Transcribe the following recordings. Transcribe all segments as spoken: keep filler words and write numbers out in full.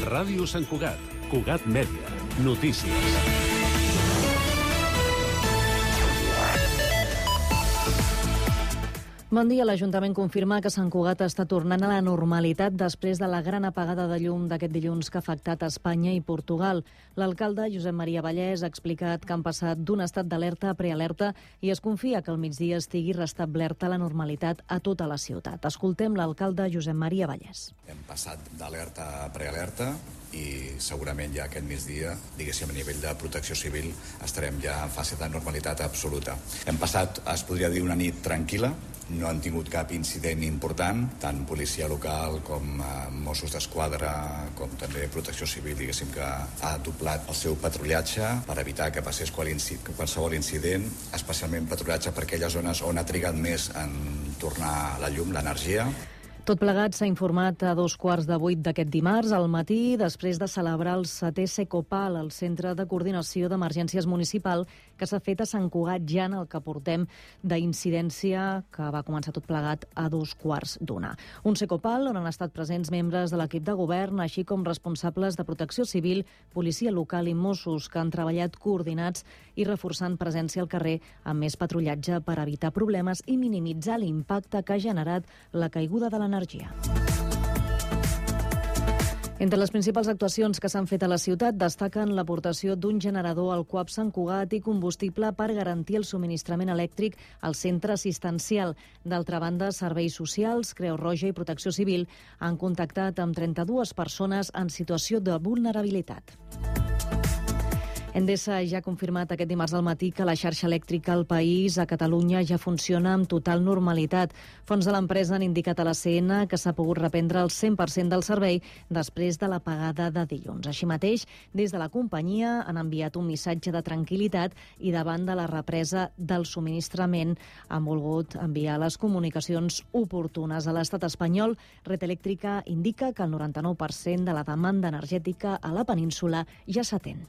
Ràdio Sant Cugat, Cugat Mèdia, notícies. Bon dia. L'Ajuntament confirma que Sant Cugat està tornant a la normalitat després de la gran apagada de llum d'aquest dilluns que ha afectat Espanya i Portugal. L'alcalde, Josep Maria Vallès, ha explicat que han passat d'un estat d'alerta a prealerta i es confia que al migdia estigui restablerta la normalitat a tota la ciutat. Escoltem l'alcalde Josep Maria Vallès. Hem passat d'alerta a prealerta i segurament ja aquest migdia, diguéssim, a nivell de protecció civil, estarem ja en fase de normalitat absoluta. Hem passat, es podria dir, una nit tranquil·la, no han tingut cap incident important, tant policia local com eh, Mossos d'Esquadra, com també protecció civil, diguéssim, que ha doblat el seu patrullatge per evitar que passés qualsevol incident, especialment patrullatge per aquelles zones on ha trigat més en tornar la llum, l'energia. Tot plegat s'ha informat a dos quarts de vuit d'aquest dimarts al matí, després de celebrar el setè Secopal, el Centre de Coordinació d'Emergències Municipal, que s'ha fet a Sant Cugat ja en el que portem d'incidència, que va començar tot plegat a dos quarts d'una. Un Secopal on han estat presents membres de l'equip de govern, així com responsables de protecció civil, policia local i Mossos, que han treballat coordinats i reforçant presència al carrer amb més patrullatge per evitar problemes i minimitzar l'impacte que ha generat la caiguda de l'energia. Entre les principals actuacions que s'han fet a la ciutat destaquen l'aportació d'un generador al C U A P Sant Cugat i combustible per garantir el subministrament elèctric al centre assistencial. D'altra banda, serveis socials, Creu Roja i Protecció Civil han contactat amb trenta-dues persones en situació de vulnerabilitat. Endesa ja ha confirmat aquest dimarts al matí que la xarxa elèctrica al país, a Catalunya, ja funciona amb total normalitat. Fonts de l'empresa han indicat a la C N que s'ha pogut reprendre el cent per cent del servei després de l'apagada de dilluns. Així mateix, des de la companyia han enviat un missatge de tranquil·litat i davant de la represa del subministrament han volgut enviar les comunicacions oportunes. A l'estat espanyol, Red Eléctrica indica que el noranta-nou per cent de la demanda energètica a la península ja s'atén.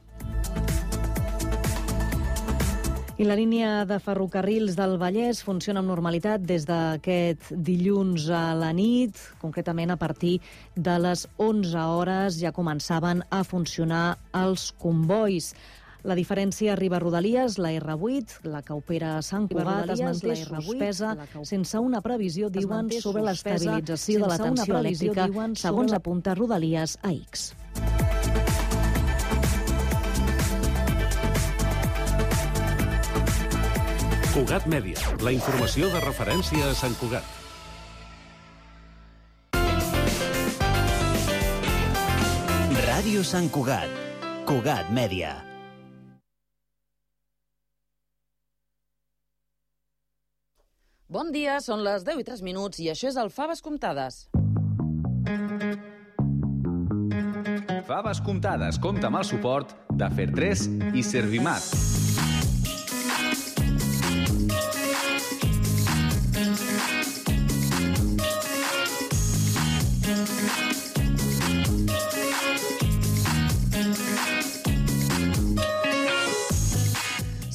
I la línia de ferrocarrils del Vallès funciona amb normalitat des d'aquest dilluns a la nit, concretament a partir de les onze hores ja començaven a funcionar els combois. La diferència arriba a Rodalies, la erre vuit, la que opera a Sant Cugat, es manté suspesa sense una previsió, diuen, sobre l'estabilització de la tensió elèctrica, segons apunta Rodalies a X. Cugat Mèdia, la informació de referència a Sant Cugat. Ràdio Sant Cugat, Cugat Mèdia. Bon dia, són les deu i tres minuts i això és el Faves Comptades. Faves Comptades compta amb el suport de Fer tres i Servimat.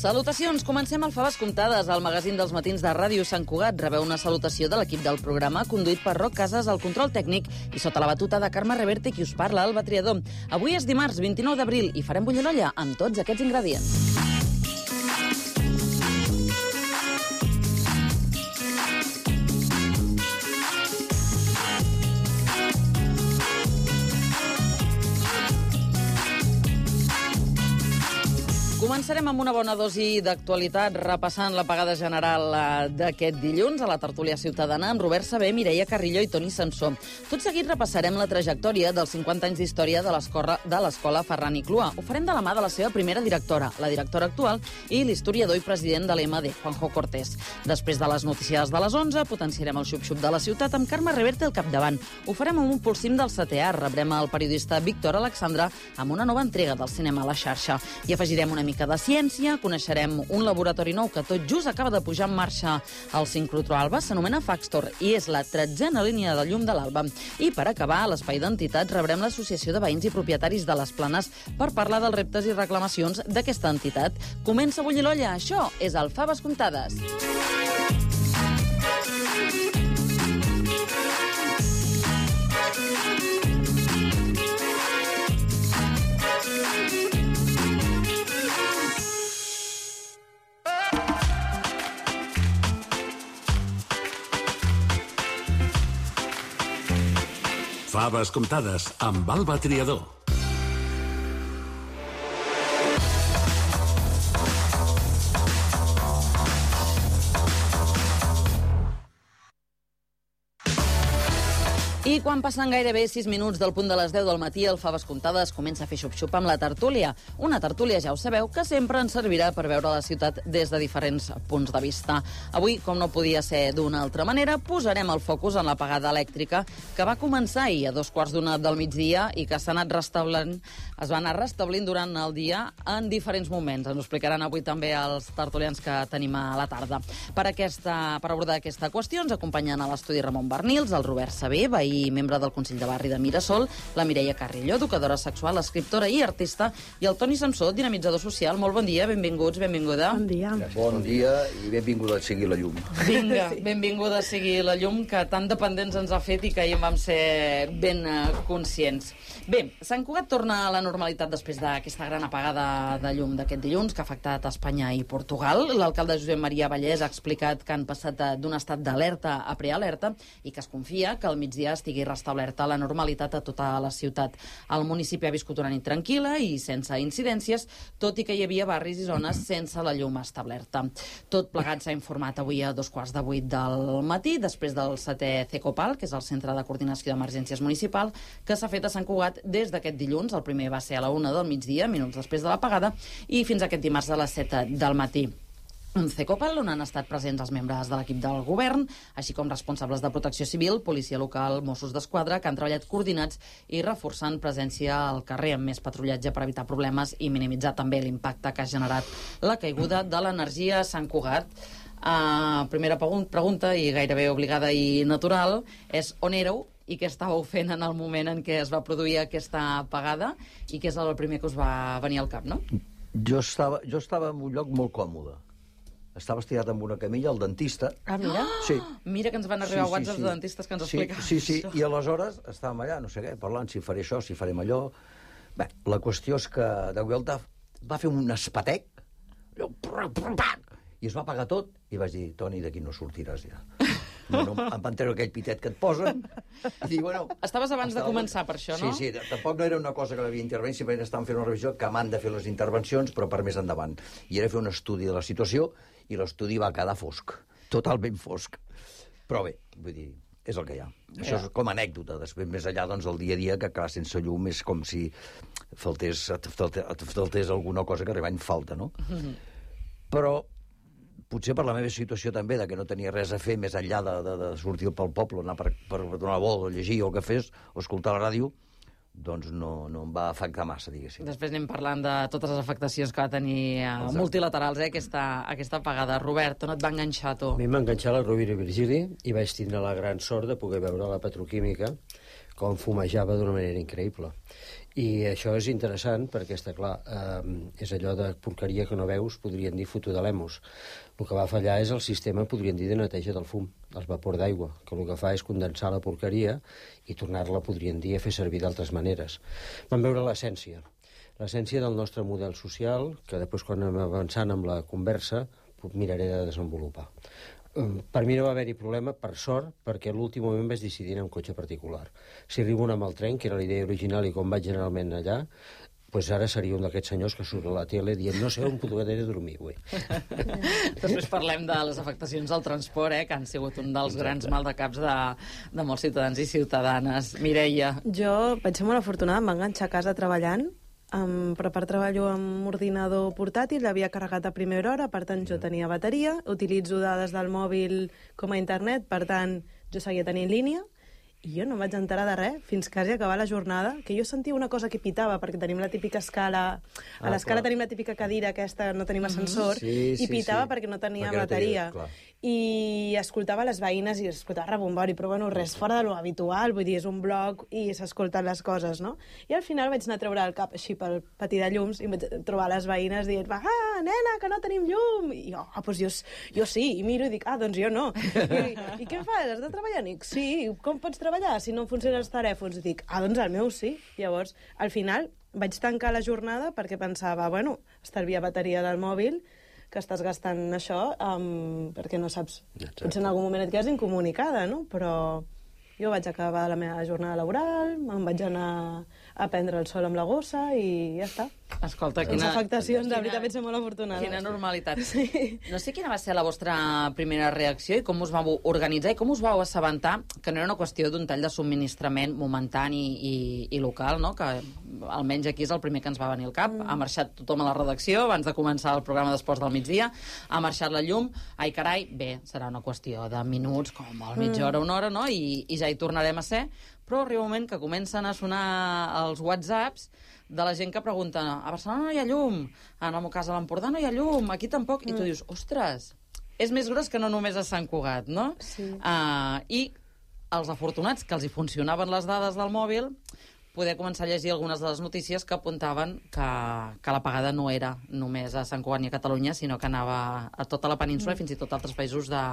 Salutacions, comencem el Faves Comptades, el magazín dels matins de Ràdio Sant Cugat. Rebeu una salutació de l'equip del programa, conduït per Roc Casas, al control tècnic, i sota la batuta de Carme Reverte, qui us parla, Alba Triador. Avui és dimarts vint-i-nou d'abril i farem bullir l'olla amb tots aquests ingredients. Començarem amb una bona dosi d'actualitat repassant l'apagada general d'aquest dilluns a la tertúlia ciutadana amb Robert Sabé, Mireia Carrillo i Toni Sansó. Tot seguit repassarem la trajectòria dels cinquanta anys d'història de l'escola Ferran i Clua. Ho farem de la mà de la seva primera directora, la directora actual, i l'historiador i president de l'E M D, Juanjo Cortés. Després de les notícies de les onze, potenciarem el xup-xup de la ciutat amb Carme Reverte al capdavant. Ho farem amb un pulsim del setè art. Rebrem el periodista Víctor Alexandra amb una nova entrega del cinema a la xarxa. I afegirem una mica de ciència, coneixerem un laboratori nou que tot just acaba de pujar en marxa al sincrotró Alba, s'anomena Faxtor i és la tretzena línia de llum de l'Alba. I per acabar, a l'Espai d'Entitats rebrem l'Associació de Veïns i Propietaris de les Planes per parlar dels reptes i reclamacions d'aquesta entitat. Comença a bullir l'olla, això és el Faves Comptades. Faves comptades amb Alba Triador. I quan passen gairebé sis minuts del punt de les deu del matí, el Faves Comptades comença a fer xup-xup amb la tertúlia. Una tertúlia, ja ho sabeu, que sempre ens servirà per veure la ciutat des de diferents punts de vista. Avui, com no podia ser d'una altra manera, posarem el focus en l'apagada elèctrica que va començar ahir a dos quarts d'una del migdia i que s'ha anat restablint, es va anar restablint durant el dia en diferents moments. Ens ho explicaran avui també els tertulians que tenim a la tarda. Per, aquesta, per abordar aquesta qüestió ens acompanyen a l'estudi Ramon Bernils, el Robert Sabé, veí i membre del Consell de Barri de Mirasol, la Mireia Carrillo, educadora sexual, escriptora i artista, i el Toni Samsó, dinamitzador social. Molt bon dia, benvinguts, benvinguda. Bon dia. Gràcies, bon dia i benvinguda a seguir la llum. Vinga, benvinguda a seguir la llum, que tan dependents ens ha fet i que ahir vam ser ben uh, conscients. Bé, Sant Cugat torna a la normalitat després d'aquesta gran apagada de llum d'aquest dilluns que ha afectat Espanya i Portugal. L'alcalde Josep Maria Vallès ha explicat que han passat d'un estat d'alerta a prealerta i que es confia que al migdia estigui restablerta la normalitat a tota la ciutat. El municipi ha viscut una nit tranquil·la i sense incidències, tot i que hi havia barris i zones sense la llum establerta. Tot plegat s'ha informat avui a dos quarts de vuit del matí, després del setè CECOPAL, que és el Centre de Coordinació d'Emergències Municipal, que s'ha fet a Sant Cugat des d'aquest dilluns. El primer va ser a la una del migdia, minuts després de l'apagada, i fins aquest dimarts a les set del matí. Un CECOPAL on han estat presents els membres de l'equip del govern, així com responsables de protecció civil, policia local, Mossos d'Esquadra, que han treballat coordinats i reforçant presència al carrer amb més patrullatge per evitar problemes i minimitzar també l'impacte que ha generat la caiguda de l'energia a Sant Cugat. Uh, primera pregunta, i gairebé obligada i natural, és on éreu i què estàveu fent en el moment en què es va produir aquesta apagada i què és el primer que us va venir al cap, no? Jo estava, jo estava en un lloc molt còmode. Estava estirat amb una camilla al dentista. Ah, mira. Sí. Mira que ens van arribar sí, sí, whatsapps sí. de dentistes que ens sí, explicaven sí, sí. això. I aleshores estàvem allà, no sé què, parlant si faré això, si farem allò. Bé, la qüestió és que de Vuelta va fer un espatec i es va apagar tot i vaig dir, Toni, d'aquí no sortiràs ja. No, no, em van treure aquell pitet que et posen i dic, bueno... Estaves abans estava... de començar per això, no? Sí, sí, tampoc no era una cosa que m'havia intervenit, simplement estàvem fent una revisió que m'han de fer les intervencions, però per més endavant. I era fer un estudi de la situació i l'estudi va quedar fosc, totalment fosc. Però bé, vull dir, és el que hi ha. Això és com a anècdota. Després, més enllà, doncs, el dia a dia, que clar, sense llum és com si faltés, faltés, faltés alguna cosa que realment falta, no? Mm-hmm. Però potser per la meva situació també, de que no tenia res a fer més enllà de, de, de sortir pel poble, anar per, per donar la volta, o llegir, o el que fes, o escoltar la ràdio, doncs no, no em va afectar massa, diguéssim. Després anem parlant de totes les afectacions que va tenir uh, multilaterals, eh, aquesta, aquesta apagada. Robert, on et va enganxar, tu? A mi m'ha enganxat la Rovira i Virgili i vaig tindre la gran sort de poder veure la petroquímica com fumejava d'una manera increïble. I això és interessant perquè, està clar, eh, és allò de porqueria que no veus, podrien dir foto de l'emos. El que va fallar és el sistema, podrien dir, de neteja del fum, el vapor d'aigua, que el que fa és condensar la porqueria i tornar-la, podrien dir, a fer servir d'altres maneres. Vam veure l'essència, l'essència del nostre model social, que després, quan anem avançant amb la conversa, miraré de desenvolupar. Per mi no va haver-hi problema, per sort, perquè a l'últim moment vaig decidir anar amb cotxe particular. Si arribo amb el tren, que era la idea original i com vaig generalment allà, doncs ara seria un d'aquests senyors que surt a la tele dient no sé on podré dormir avui. Després parlem de les afectacions al transport, eh, que han sigut un dels grans maldecaps de, de molts ciutadans i ciutadanes. Mireia. Jo vaig ser molt afortunada, em va enganxar a casa treballant. Um, per part treballo amb ordinador portàtil, l'havia carregat a primera hora, per tant jo tenia bateria, utilitzo dades del mòbil com a internet, per tant jo seguia tenint línia, i jo no em vaig enterar de res fins quasi acabar la jornada, que jo sentia una cosa que pitava, perquè tenim la típica escala, a ah, l'escala tenim la típica cadira aquesta, no tenim ascensor, sí, sí, i pitava sí. perquè no tenia perquè bateria. No tenia, i escoltava les veïnes i escoltava rebombori, però bueno, res fora de lo habitual, vull dir, és un blog i s'escolten les coses, no? I al final vaig anar a treure el cap així pel patí de llums i vaig trobar les veïnes dient, ah, nena, que no tenim llum! I jo, ah, doncs jo, jo sí, i miro i dic, ah, doncs jo no. I, i què fas? Has de treballar? I dic, sí, com pots treballar si no funcionen els telèfons? I dic, ah, doncs el meu sí. Llavors, al final, vaig tancar la jornada perquè pensava, bueno, estalviar bateria del mòbil, que estàs gastant això, um, perquè no saps... Potser en algun moment et quedes incomunicada, no? Però Jo vaig acabar la meva jornada laboral, me'n vaig anar a prendre el sol amb la gossa i ja està. Escolta, quina... Les afectacions, de veritat, quina... vaig ser molt afortunada. Quina normalitat. Sí. No sé quina va ser la vostra primera reacció i com us vau organitzar i com us vau assabentar que no era una qüestió d'un tall de subministrament momentani i, i local, no? Que almenys aquí és el primer que ens va venir al cap. Mm. Ha marxat tothom a la redacció abans de començar el programa d'Esports del migdia, ha marxat la llum, ai carai, bé, serà una qüestió de minuts, com molt mitja hora, una hora, no? I, i ja hi tornarem a ser, però arriba un moment que comencen a sonar els whatsapps de la gent que pregunta a Barcelona no hi ha llum, en el meu cas a l'Empordà no hi ha llum, aquí tampoc, mm. i tu dius, ostres, és més gros que no només a Sant Cugat, no? Sí. Uh, I els afortunats que els hi funcionaven les dades del mòbil poder començar a llegir algunes de les notícies que apuntaven que, que l'apagada no era només a Sant Cugat ni a Catalunya, sinó que anava a tota la península mm. i fins i tot a altres països de,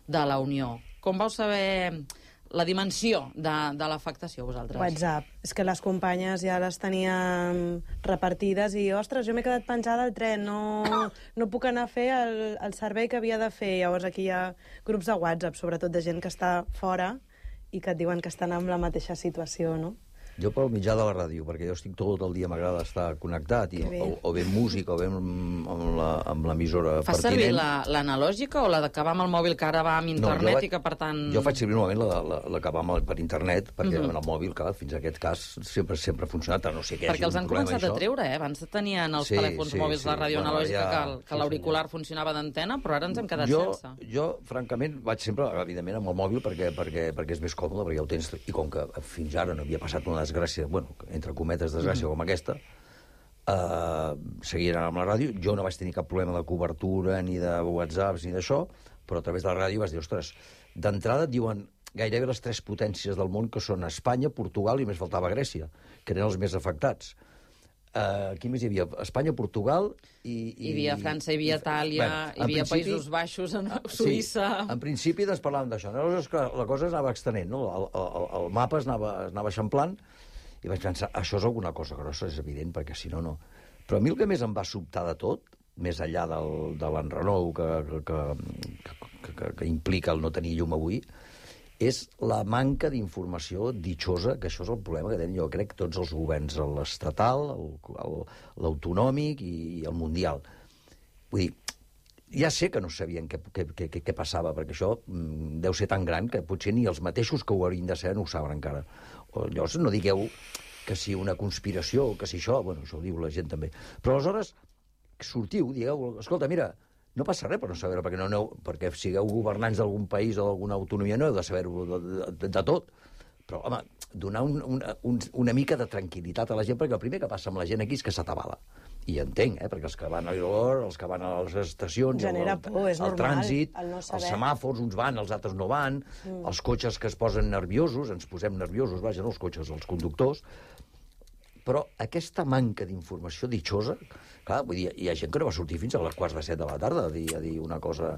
de la Unió. Com vau saber la dimensió de, de l'afectació, vosaltres? WhatsApp. És que les companyes ja les teníem repartides i, ostres, jo m'he quedat penjada al tren, no, no puc anar a fer el, el servei que havia de fer. Llavors aquí hi ha grups de WhatsApp, sobretot de gent que està fora i que et diuen que estan en la mateixa situació, no? Jo pel mitjà de la ràdio, perquè jo estic tot el dia, m'agrada estar connectat, i, o, o bé música, o bé amb l'emissora pertinent. Fas servir l'analògica o la d'acabar amb el mòbil que ara va amb internet no, vaig, i que, per tant... Jo faig servir normalment l'acabar la, la, per internet, perquè mm-hmm. el mòbil, clar, fins a aquest cas, sempre sempre ha funcionat, no sé què perquè els han començat això. A treure, eh? Abans tenien els sí, telèfons sí, mòbils sí, de ràdio bueno, analògica ja, que, que sí, l'auricular sí, funcionava d'antena, però ara ens hem quedat jo, sense. Jo, francament, vaig sempre, evidentment, amb el mòbil perquè, perquè, perquè és més còmode, perquè ja ho tens, i com que fins ara no havia passat una desgràcia, bueno, entre cometes, desgràcia mm. com aquesta, eh, seguien amb la ràdio. Jo no vaig tenir cap problema de cobertura, ni de whatsapps, ni d'això, però a través de la ràdio vas dir, ostres, d'entrada et diuen gairebé les tres potències del món, que són Espanya, Portugal i més faltava Grècia, que eren els més afectats. Uh, aquí més hi havia Espanya, Portugal i... I hi havia França, hi havia Itàlia, bueno, hi havia Països Baixos, en Suïssa... Sí, en principi doncs parlàvem d'això. Llavors la cosa es anava extenent, no? el, el, el mapa es anava, es anava eixamplant, i vaig pensar, això és alguna cosa grossa, és evident, perquè si no, no. Però a mi el que més em va sobtar de tot, més enllà del, de l'enrenou que, que, que, que, que implica el no tenir llum avui, és la manca d'informació ditxosa, que això és el problema que tenen, jo crec, tots els governs, l'estatal, l'autonòmic i el mundial. Vull dir, ja sé que no sabien què, què, què, què passava, perquè això mm, deu ser tan gran que potser ni els mateixos que ho haurien de saber no ho saben encara. O, llavors no digueu que si una conspiració o que si això, bueno, això ho diu la gent també. Però aleshores sortiu, digueu, escolta, mira, no passa res per no saber-ho, perquè, no, no, perquè sigueu governants d'algun país o d'alguna autonomia no heu de saber-ho de, de, de tot. Però, home, donar un, una, un, una mica de tranquil·litat a la gent, perquè el primer que passa amb la gent aquí és que s'atabala. I entenc, eh? Perquè els que van a l'aeroport, els que van a les estacions, genera el, por, és el normal, trànsit, el no els semàfors, uns van, els altres no van, mm. els cotxes que es posen nerviosos, ens posem nerviosos, vaja, no els cotxes, els conductors. Però aquesta manca d'informació ditxosa, clar, vull dir, hi ha gent que no va sortir fins a les quarts de set de la tarda a dir, a dir una cosa,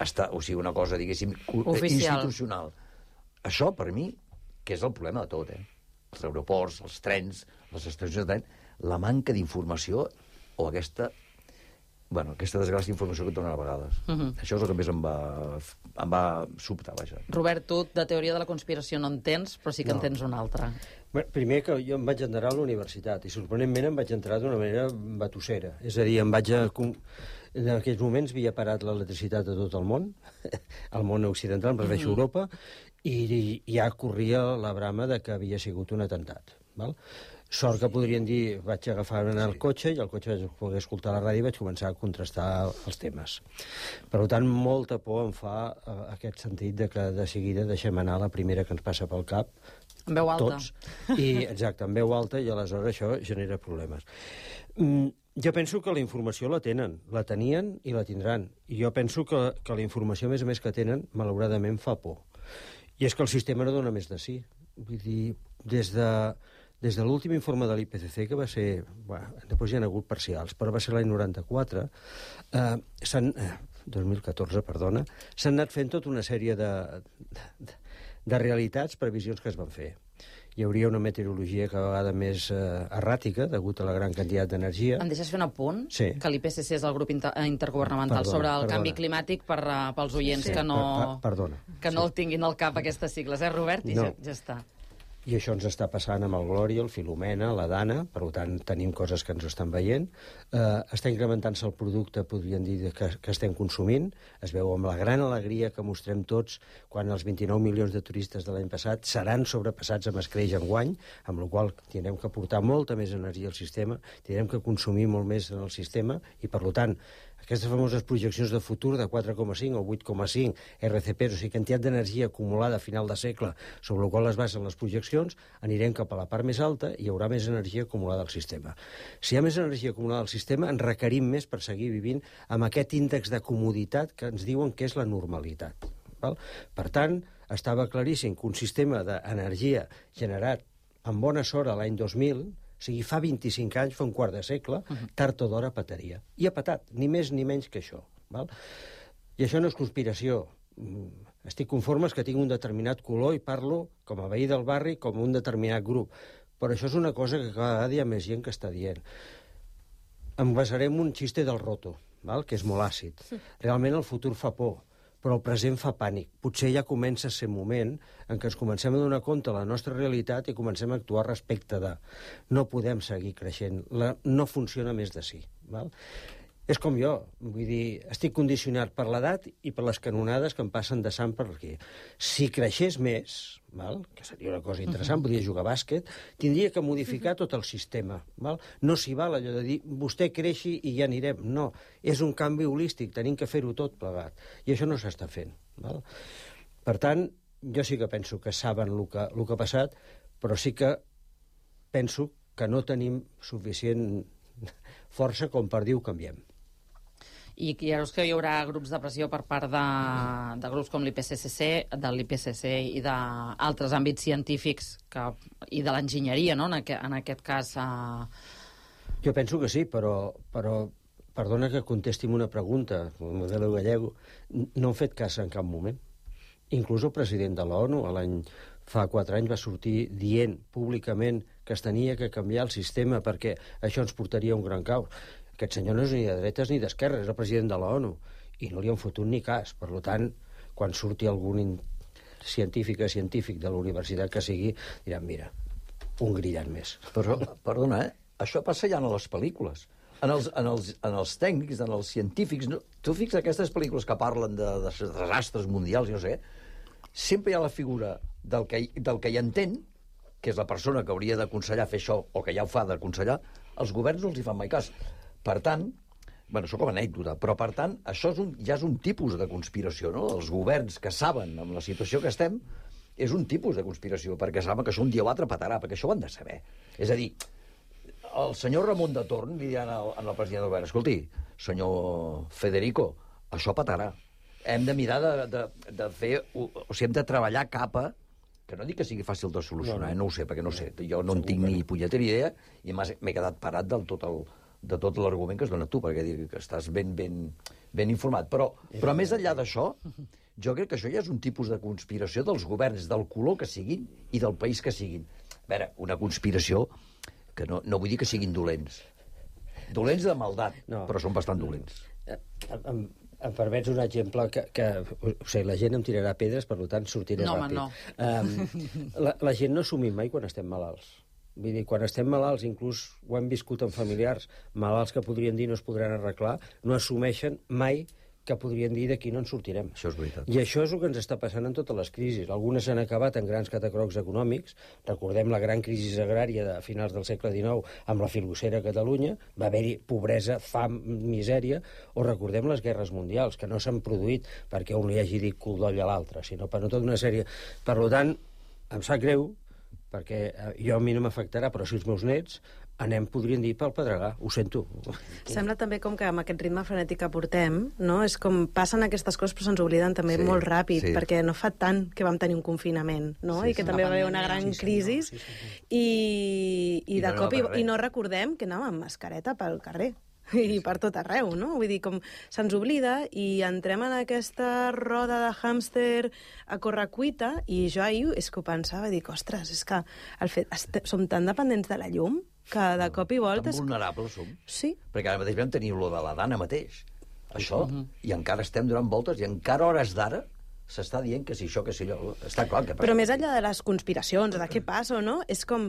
està, o sigui, una cosa, diguéssim, oficial, institucional. Això, per mi, que és el problema de tot, eh? Els aeroports, els trens, les estacions de tren, la manca d'informació o aquesta, bueno, aquesta desgràcia d'informació que et donen a vegades. Uh -huh. Això és el que més em va, em va sobtar, vaja. Robert, tu de teoria de la conspiració no en tens, però sí que no. en tens una altra. Bé, primer que jo em vaig entrar a la universitat i sorprenentment em vaig entrar d'una manera batussera. És a dir, em vaig a... En aquells moments havia parat l'electricitat a tot el món, el món occidental, em refereixo a Europa, i ja corria la brama de que havia sigut un atemptat. Val? Sort que podrien dir, vaig agafar el cotxe i al cotxe vaig poder escoltar la ràdio i vaig començar a contrastar els temes. Per tant, molta por em fa uh, aquest sentit de que de seguida deixem anar la primera que ens passa pel cap, en veu alta. Tots, i, exacte, en veu alta, i aleshores això genera problemes. Mm, jo penso que la informació la tenen, la tenien i la tindran. I jo penso que, que la informació, a més a més, que tenen, malauradament fa por. I és que el sistema no dona més de sí. Vull dir, des de... Des de l'últim informe de l'I P C C, que va ser... Bueno, després hi ha hagut parcials, però va ser l'any noranta-quatre, eh, s'han... Eh, dos mil catorze, perdona, s'han anat fent tota una sèrie de, de, de realitats, previsions que es van fer. hi hauria una meteorologia cada vegada més eh, erràtica, degut a la gran quantitat d'energia. Em deixes fer un apunt? Sí. Que l'I P C C és el grup inter intergovernamental Perdona, sobre el perdona. canvi climàtic per, uh, pels oients Sí. que no, Per- per- perdona. que no el tinguin al cap aquestes sigles, eh, Robert? I No. ja, ja està. I això ens està passant amb el Glòria, el Filomena, la Dana, per tant tenim coses que ens estan veient. Eh, està incrementant-se el producte, podríem dir, que, que estem consumint. Es veu amb la gran alegria que mostrem tots quan els vint-i-nou milions de turistes de l'any passat seran sobrepassats amb escreix enguany, amb la qual cosa tindrem que portar molta més energia al sistema, tindrem que consumir molt més en el sistema i, per tant, aquestes famoses projeccions de futur de quatre coma cinc o vuit coma cinc R C P, o sigui, quantitat d'energia acumulada a final de segle, sobre la qual es basen les projeccions, anirem cap a la part més alta i hi haurà més energia acumulada al sistema. Si hi ha més energia acumulada al sistema, en requerim més per seguir vivint amb aquest índex de comoditat que ens diuen que és la normalitat. Val? Per tant, estava claríssim que un sistema d'energia generat amb bona sort l'any dos mil, o sigui, fa vint-i-cinc anys, fa un quart de segle, tard o d'hora petaria. I ha petat, ni més ni menys que això. Val? I això no és conspiració. Estic conforme que tinc un determinat color i parlo com a veí del barri, com un determinat grup. Però això és una cosa que cada dia hi ha més gent que està dient. Em basaré en un xiste del Roto, val? Que és molt àcid. Realment el futur fa por, però el present fa pànic. Potser ja comença a ser moment en què ens comencem a donar compte de la nostra realitat i comencem a actuar respecte de. No podem seguir creixent. La, no funciona més de sí. Val? És com jo, vull dir, estic condicionat per l'edat i per les canonades que em passen de sant per aquí. Si creixés més, val? Que seria una cosa interessant, podria jugar a bàsquet, tindria que modificar tot el sistema. Val? No s'hi val allò de dir vostè creixi i ja anirem. No, és un canvi holístic, tenim que fer-ho tot plegat. I això no s'està fent. Val? Per tant, jo sí que penso que saben el que, el que ha passat, però sí que penso que no tenim suficient força com per dir ho canviem. I creus que hi haurà grups de pressió per part de, de grups com l'I P C C, de l'I P C C i d'altres àmbits científics que, i de l'enginyeria, no? en, aquest, en aquest cas... Uh... Jo penso que sí, però, però perdona que contesti una pregunta, el model gallego, no han fet cas en cap moment. Inclús el president de l'ONU, l'any fa quatre anys, va sortir dient públicament que es tenia que canviar el sistema perquè això ens portaria a un gran caos. Aquest senyor no és ni de dretes ni d'esquerres, és el president de l'ONU, i no li han fotut ni cas. Per tant, quan surti algun científic o científic de la universitat que sigui, diran, mira, un grillant més. Però, perdona, eh? Això passa ja en les pel·lícules. En els, en els, en els tècnics, en els científics... No? Tu fixes aquestes pel·lícules que parlen de, de desastres mundials, jo no sé, sempre hi ha la figura del que, del que hi entén, que és la persona que hauria d'aconsellar fer això, o que ja ho fa d'aconsellar, els governs no els hi fan mai cas. Per tant, bueno, això com a anècdota, però per tant, això és un, ja és un tipus de conspiració, no? Els governs que saben amb la situació que estem, és un tipus de conspiració, perquè saben que això un dia o altre petarà, perquè això ho han de saber. És a dir, el senyor Ramon de Torn li diran al, al president del govern, escolti, senyor Federico, això petarà. Hem de mirar de, de, de fer... O, o sigui, hem de treballar cap a... Que no dic que sigui fàcil de solucionar, no, no. Eh? No ho sé, perquè no ho sé. Jo no en tinc ni punyetera idea i m'he quedat parat del tot el... de tot l'argument que has donat tu, perquè dic que estàs ben, ben, ben informat. Però, però més enllà d'això, jo crec que això ja és un tipus de conspiració dels governs, del color que siguin i del país que siguin. A veure, una conspiració que no, no vull dir que siguin dolents. Dolents de maldat, no. Però són bastant dolents. Em, em permets un exemple que, que o sigui, la gent em tirarà pedres, per tant sortiré no, ràpid. No, um, la, la gent no assumim mai quan estem malalts. Vull dir, quan estem malalts, inclús ho hem viscut amb familiars, malalts que podrien dir no es podran arreglar, no assumeixen mai que podrien dir d'aquí no en sortirem. Això és veritat. I això és el que ens està passant en totes les crisis. Algunes s'han acabat en grans catacrocs econòmics. Recordem la gran crisi agrària de finals del segle dinou amb la filocera a Catalunya. Va haver-hi pobresa, fam, misèria. O recordem les guerres mundials, que no s'han produït perquè un li hagi dit cul d'oll a l'altre, sinó per tota una sèrie... Per tant, em sap greu, perquè jo a mi no m'afectarà, però si els meus nets anem, podrien dir, pel pedregar. Ho sento. Sembla també com que amb aquest ritme frenètic que portem, no? És com passen aquestes coses però se'ns obliden també sí, molt ràpid, sí. Perquè no fa tant que vam tenir un confinament, no? Sí, I que sí. també va haver una gran sí, crisi sí, sí, sí. i, i, I de no cop i, anava i no recordem que anàvem amb mascareta pel carrer. i per tot arreu, no? Vull dir, com se'ns oblida i entrem en aquesta roda de hàmster a correcuita i jo ahir és que ho pensava i dic, ostres, és que el fet, este, som tan dependents de la llum que de cop i volta... Tan vulnerables som. Sí. Perquè ara mateix vam tenir lo de la Dana mateix, això, i encara estem donant voltes i encara a hores d'ara s'està dient que si això, que si allò... Està clar que passa. Però més enllà de les conspiracions, de què passa o no, és com...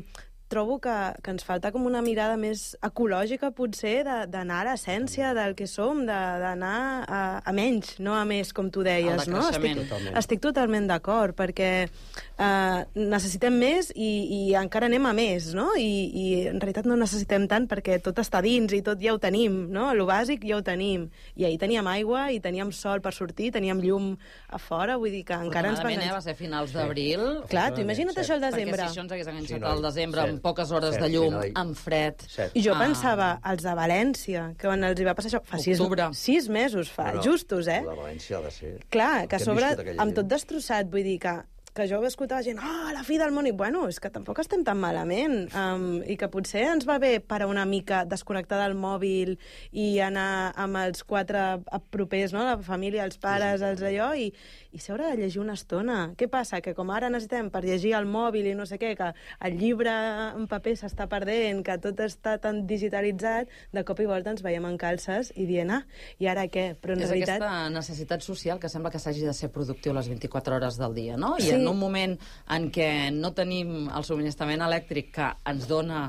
Trobo que, que ens falta com una mirada més ecològica, potser, d'anar a l'essència del que som, d'anar a, a menys, no a més, com tu deies, no? Estic, totalment. estic totalment d'acord, perquè eh, necessitem més i, i encara anem a més, no? I, I en realitat no necessitem tant perquè tot està dins i tot ja ho tenim, no? Lo bàsic ja ho tenim. I ahir teníem aigua i teníem sol per sortir, teníem llum a fora, vull dir que encara ens va... Eh, va ser finals d'abril. Sí. Clar, tu imagina't això al desembre. Perquè si això ens hagués enganxat sí, no, al desembre amb poques hores Set, de llum, sí, no, amb fred. Set. I jo ah. pensava, els de València, que quan els hi va passar això, fa sis, sis mesos, fa, no, justos, eh? La València ha de ser... Clar, que a sobre, amb tot destrossat, vull dir que que jo escoltava gent, oh, la fi del món, i bueno, és que tampoc estem tan malament, um, i que potser ens va bé parar una mica, desconnectar del mòbil i anar amb els quatre propers, no?, la família, els pares, els allò, i, i seure a llegir una estona. Què passa? Que com ara necessitem per llegir el mòbil i no sé què, que el llibre en paper s'està perdent, que tot està tan digitalitzat, de cop i volta ens veiem en calces i dient, ah, i ara què? Però en és realitat... aquesta necessitat social que sembla que s'hagi de ser productiu les vint-i-quatre hores del dia, no? I sí. en un moment en què no tenim el subministrament elèctric que ens dona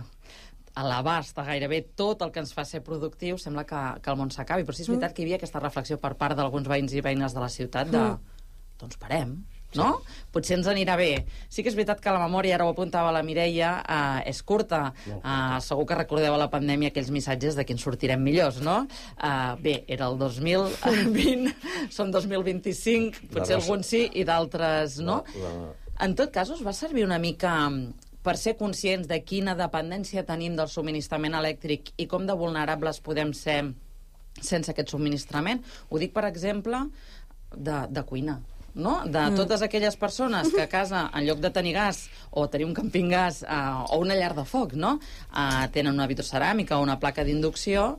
a l'abast de gairebé tot el que ens fa ser productiu, sembla que, que el món s'acabi. Però sí és veritat mm. que hi havia aquesta reflexió per part d'alguns veïns i veïnes de la ciutat de, mm. doncs parem, no? Sí. Potser ens anirà bé. Sí que és veritat que la memòria, ara ho apuntava la Mireia, eh, és curta. Eh, segur que recordeu a la pandèmia aquells missatges de que ens sortirem millors, no? Eh, bé, era el dos mil vint, som dos mil vint-i-cinc, potser alguns sí i d'altres no. La, la... En tot cas, us va servir una mica per ser conscients de quina dependència tenim del subministrament elèctric i com de vulnerables podem ser sense aquest subministrament? Ho dic, per exemple, de, de cuina. No? De mm. totes aquelles persones que a casa, en lloc de tenir gas o tenir un camping-gas uh, o una llar de foc, no? uh, tenen una vitroceràmica o una placa d'inducció,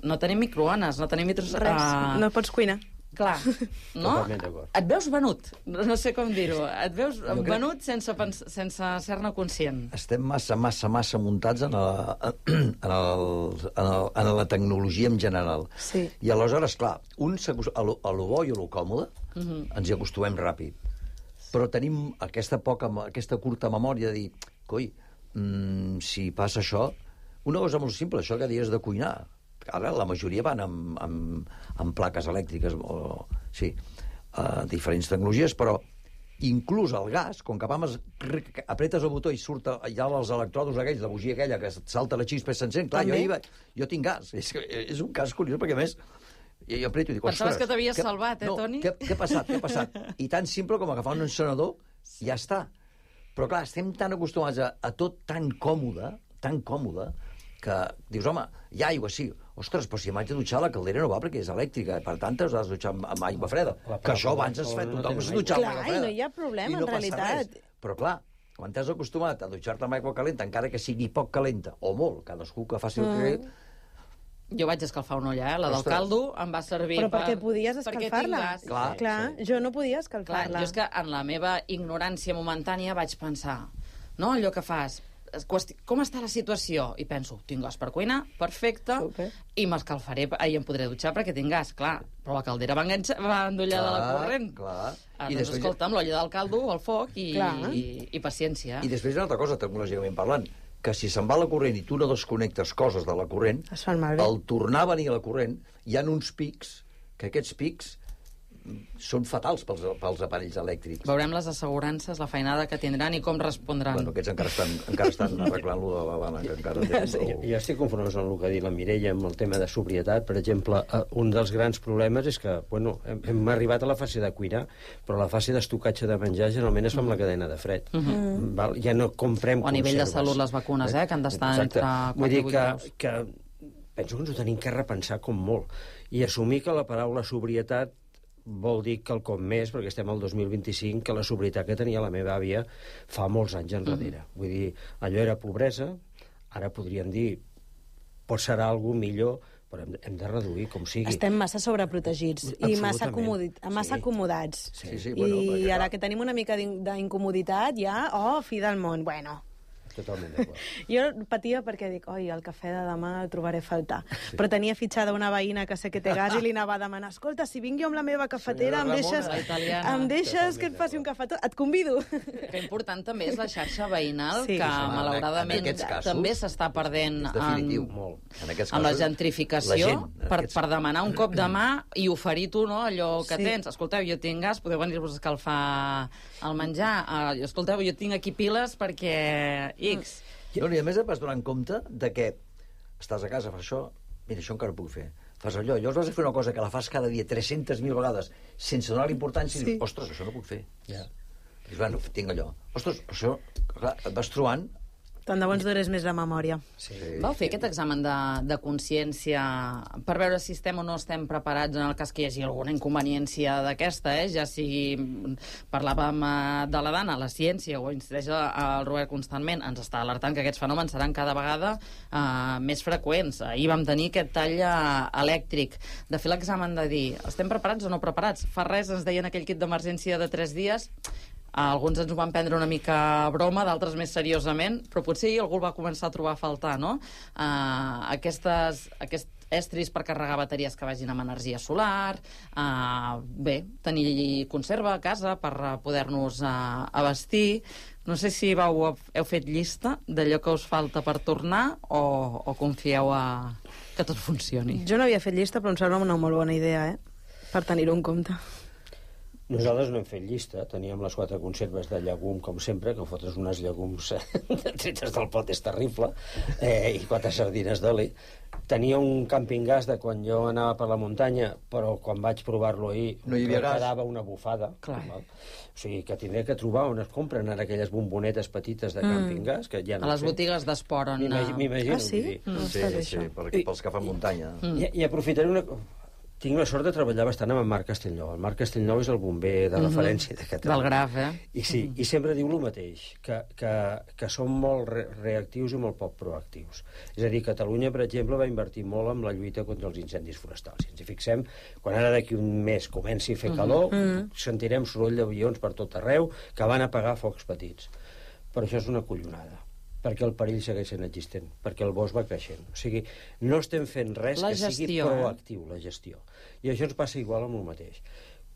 no tenim microones, no tenim vitros... Res, uh... no pots cuinar. Clar, no? Et veus venut, no sé com dir-ho, et veus crec... venut sense, sense ser-ne conscient. Estem massa, massa, massa muntats en, la, en, el, en, el, en la tecnologia en general. Sí. I aleshores, clar, un a lo, a lo bo i a lo còmode uh -huh. ens hi acostumem ràpid. Però tenim aquesta, poca, aquesta curta memòria de dir, coi, mmm, si passa això... Una cosa molt simple, això que dius de cuinar. Ara la majoria van amb, amb, amb plaques elèctriques o sí, uh, diferents tecnologies, però inclús el gas, com que vam apretes el botó i surt allà els electrodos aquells, la bugia aquella que salta la xispa i s'encén, clar, jo, va, jo tinc gas. És, és un cas curiós, perquè a més jo apreto i dic, pensaves que t'havies salvat, eh, no, Toni? Què, què ha passat, què ha passat? I tan simple com agafar un encenedor, ja està. Però clar, estem tan acostumats a, a tot tan còmode, tan còmode, que dius, home, hi ha aigua, sí. Ostres, però si m'haig de dutxar la caldera no va perquè és elèctrica, per tant t'has de dutxar amb, amb aigua freda. La, la, que això abans es fa, tothom s'ha dutxat amb aigua freda. Clar, i no hi ha problema, no en realitat. Res. Però clar, quan t'has acostumat a dutxar-te amb aigua calenta, encara que sigui poc calenta, o molt, cadascú que faci el mm. que... Jo vaig escalfar una olla, eh? La del caldo em va servir però per... perquè podies escalfar-la. Perquè clar, clar sí. Jo no podia escalfar-la. Clar, jo és que en la meva ignorància momentània vaig pensar, no, allò que fas... Com està la situació? I penso, tinc gas per cuinar, perfecte, okay. i m'escalfaré i em podré dutxar perquè tinc gas, clar. Però la caldera va, va endollar de la corrent. Clar. Ah, I doncs, després... escolta'm, l'olla del caldo, el foc i, i, i paciència. I després una altra cosa, tecnològicament parlant, que si se'n va la corrent i tu no desconnectes coses de la corrent, al tornar a venir a la corrent hi ha uns pics, que aquests pics són fatals pels, pels aparells elèctrics. Veurem les assegurances, la feinada que tindran i com respondran. Bueno, aquests encara estan, encara estan arreglant-lo de la Habana, que encara tenen... Sí, jo estic conforme amb el que ha dit la Mireia amb el tema de sobrietat. Per exemple, un dels grans problemes és que, bueno, hem, hem arribat a la fase de cuinar, però la fase d'estocatge de menjar generalment es fa amb la cadena de fred. Uh -huh. Val? Ja no comprem o a nivell conserves. de salut les vacunes, eh, que han d'estar entre quatre i vuit graus. Que, penso que ens ho tenim que repensar com molt. I assumir que la paraula sobrietat vol dir que el cop més, perquè estem al dos mil vint-i-cinc, que la sobrietat que tenia la meva àvia fa molts anys enrere. Mm. Vull dir, allò era pobresa, ara podríem dir, pot serà algú millor, però hem, hem de reduir com sigui. Estem massa sobreprotegits i massa, acomodi massa sí. acomodats. Sí, sí, bueno, I perquè, ara clar. que tenim una mica d'incomoditat, ja, oh, fi del món, bueno... Totalment d'acord. Jo patia perquè dic, oi, el cafè de demà el trobaré a faltar. Sí. Però tenia fitxada una veïna que sé que té gas i li anava a demanar, escolta, si vinc jo amb la meva cafetera, em deixes, em deixes que et faci un cafetó? Et convido. Que important també és la xarxa veïnal, Sí. que Sí, sí. malauradament En aquests casos, també s'està perdent és definitiu, en, molt. En aquests amb la casos, gentrificació, la gent, en per, aquests- per demanar un cop de mà i oferir tu, no, allò que Sí. tens. Escolteu, jo tinc gas, podeu venir-vos a escalfar el menjar. Uh, escolteu, jo tinc aquí piles perquè X... No, I a més et vas donar compte de que estàs a casa, fas això, mira, això encara ho puc fer. Fas allò, llavors vas a fer una cosa que la fas cada dia tres-centes mil vegades sense donar l'importància i Sí. dius, ostres, això no puc fer. Ja. Dius, bueno, tinc allò. Ostres, això, clar, et vas trobant... Tant de bo ens durés més la memòria. Sí. Vau fer aquest examen de, de consciència per veure si estem o no estem preparats en el cas que hi hagi alguna inconveniència d'aquesta, eh? Ja sigui... Parlàvem eh, de la Dana, la ciència, o incideix el Robert constantment, ens està alertant que aquests fenòmens seran cada vegada eh, més freqüents. Ahir vam tenir aquest tall eh, elèctric. De fer l'examen de dir, estem preparats o no preparats? Fa res, ens deien aquell kit d'emergència de tres dies. Alguns ens ho van prendre una mica a broma, d'altres més seriosament, però potser algú el va començar a trobar a faltar, no? Uh, aquestes, aquests estris per carregar bateries que vagin amb energia solar, uh, bé, tenir conserva a casa per uh, poder-nos uh, abastir. No sé si vau, heu fet llista d'allò que us falta per tornar o, o confieu a que tot funcioni. Jo no havia fet llista, però em sembla una molt bona idea, eh? Per tenir-ho en compte. Nosaltres no hem fet llista, teníem les quatre conserves de llegum, com sempre, que fotres unes llegums tretes del pot és terrible, eh, i quatre sardines d'oli. Tenia un camping gas de quan jo anava per la muntanya, però quan vaig provar-lo ahir No hi havia gas. quedava una bufada. Clar. Val? O sigui, que tindré que trobar on es compren ara aquelles bombonetes petites de camping gas, que ja no A les sé. botigues d'esport on... M'imagi- uh, M'imagino. Ah, sí? vull dir. No Sí, està bé, sí, això. perquè, pels que fan muntanya. Mm. I, I aprofitaré una... Tinc la sort de treballar bastant amb en Marc Castellnou. El Marc Castellnou és el bomber de referència de Catalunya. Del Graf, eh? I sí, i sempre diu el mateix, que, que, que som molt re reactius i molt poc proactius. És a dir, Catalunya, per exemple, va invertir molt en la lluita contra els incendis forestals. Si ens hi fixem, quan ara d'aquí un mes comenci a fer calor, mm -hmm. sentirem soroll d'avions per tot arreu que van apagar focs petits. Però això és una collonada, perquè el perill segueix sent existent, perquè el bosc va creixent. O sigui, no estem fent res La que gestió, sigui eh? proactiu, la gestió. I això ens passa igual amb el mateix.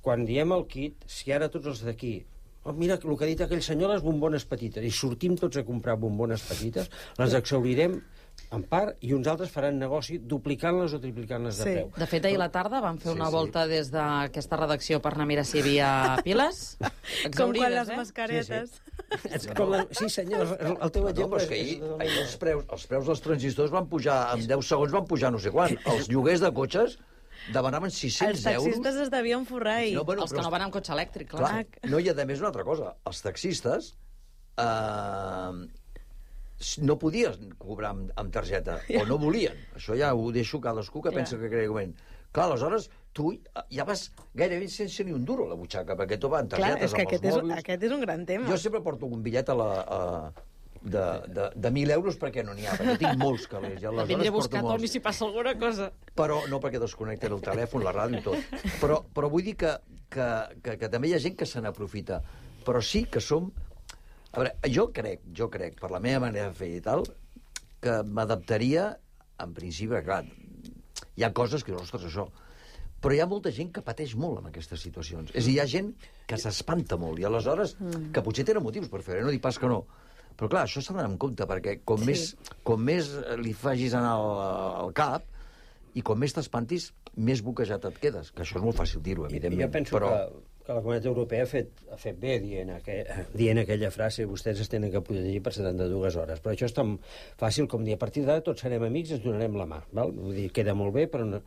Quan diem el kit, si ara tots els d'aquí oh, mira, el que ha dit aquell senyor, les bombones petites, i sortim tots a comprar bombones petites, les exhaurirem en part, i uns altres faran negoci duplicant-les o triplicant-les de Sí. preu. De fet, ahir a la tarda vam fer Sí, una sí. volta des d'aquesta redacció per anar a mirar si hi havia piles. Com quan les eh? mascaretes. És com la... Sí, senyor, el, el teu No, exemple però és que ahir, és... ahir els, preus, els preus dels transistors van pujar, en deu segons van pujar no sé quan. Els lloguers de cotxes demanaven Els sis-cents euros. taxistes es devien forrar ahir. No, bueno, Els que però- no van amb cotxe elèctric, clar. Clar, no, i a més una altra cosa, els taxistes eh, no podien cobrar amb, amb targeta, o no volien. Això ja ho deixo cadascú que Ja. pensa que creguement. Clar, aleshores, tu ja vas gairebé sense ni un duro a la butxaca, perquè tot va en Clar, targetes, és que amb aquest els és, mòbils. aquest és un gran tema. Jo sempre porto un bitllet a la... A, de, de, de mil euros perquè no n'hi ha, perquè tinc molts calés. Ja aleshores Vindré a porto buscar molts. Tomi si passa alguna cosa. Però no perquè desconnecten el telèfon, la ràdio i tot. Però, però vull dir que, que, que, que també hi ha gent que se n'aprofita. Però sí que som... A veure, jo crec, jo crec, per la meva manera de fer i tal, que m'adaptaria, en principi, clar, hi ha coses que, ostres, això... Però hi ha molta gent que pateix molt en aquestes situacions. És a dir, hi ha gent que s'espanta molt, i aleshores, que potser tenen motius per fer-ho, no dic pas que no. Però clar, això s'ha d'anar en compte, perquè com, sí. més, com més li facis anar al, al cap i com més t'espantis, més boquejat et quedes. Que això és molt fàcil dir-ho, evidentment. Jo penso però... que, que la Comunitat Europea ha fet, ha fet bé dient, aqu dient aquella frase vostès es tenen que protegir per setanta-dues hores. Però això és tan fàcil com dir a partir d'ara tots serem amics i ens donarem la mà. Val? Vull dir, queda molt bé, però no...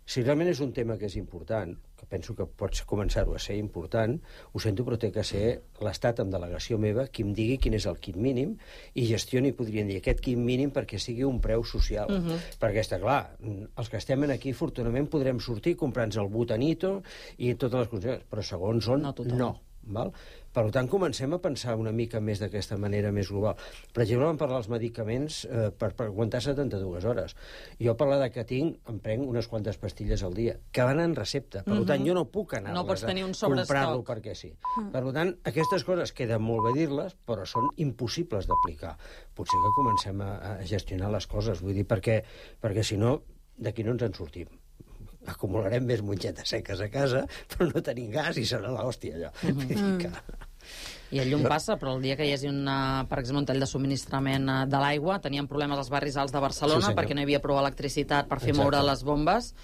si realment és un tema que és important, que penso que pots començar-ho a ser important, ho sento, però té que ser l'Estat amb delegació meva qui em digui quin és el kit mínim i gestioni, podrien dir, aquest kit mínim perquè sigui un preu social. Uh -huh. Perquè està clar, els que estem aquí, afortunadament, podrem sortir comprant-nos el butanito i totes les coses, però segons on, No tothom. no. Val? Per tant, comencem a pensar una mica més d'aquesta manera més global. Per exemple, vam parlar dels medicaments eh, per, per aguantar setanta-dues hores. Jo parlar de que tinc, em prenc unes quantes pastilles al dia, que van en recepta. Per tant, jo no puc anar No pots tenir un a comprar-lo sobrestoc. perquè sí. Per tant, aquestes coses queden molt bé dir-les, però són impossibles d'aplicar. Potser que comencem a, a gestionar les coses, vull dir, perquè, perquè si no, d'aquí no ens en sortim. Acumularem més mongetes seques a casa, però no tenim gas i serà l'hòstia, allò. Mm -hmm. Vull dir que... I el llum passa, però el dia que hi hagi, una, per exemple, un tall de subministrament eh, de l'aigua, teníem problemes als barris alts de Barcelona Sí, perquè no hi havia prou electricitat per fer Exacte. moure les bombes.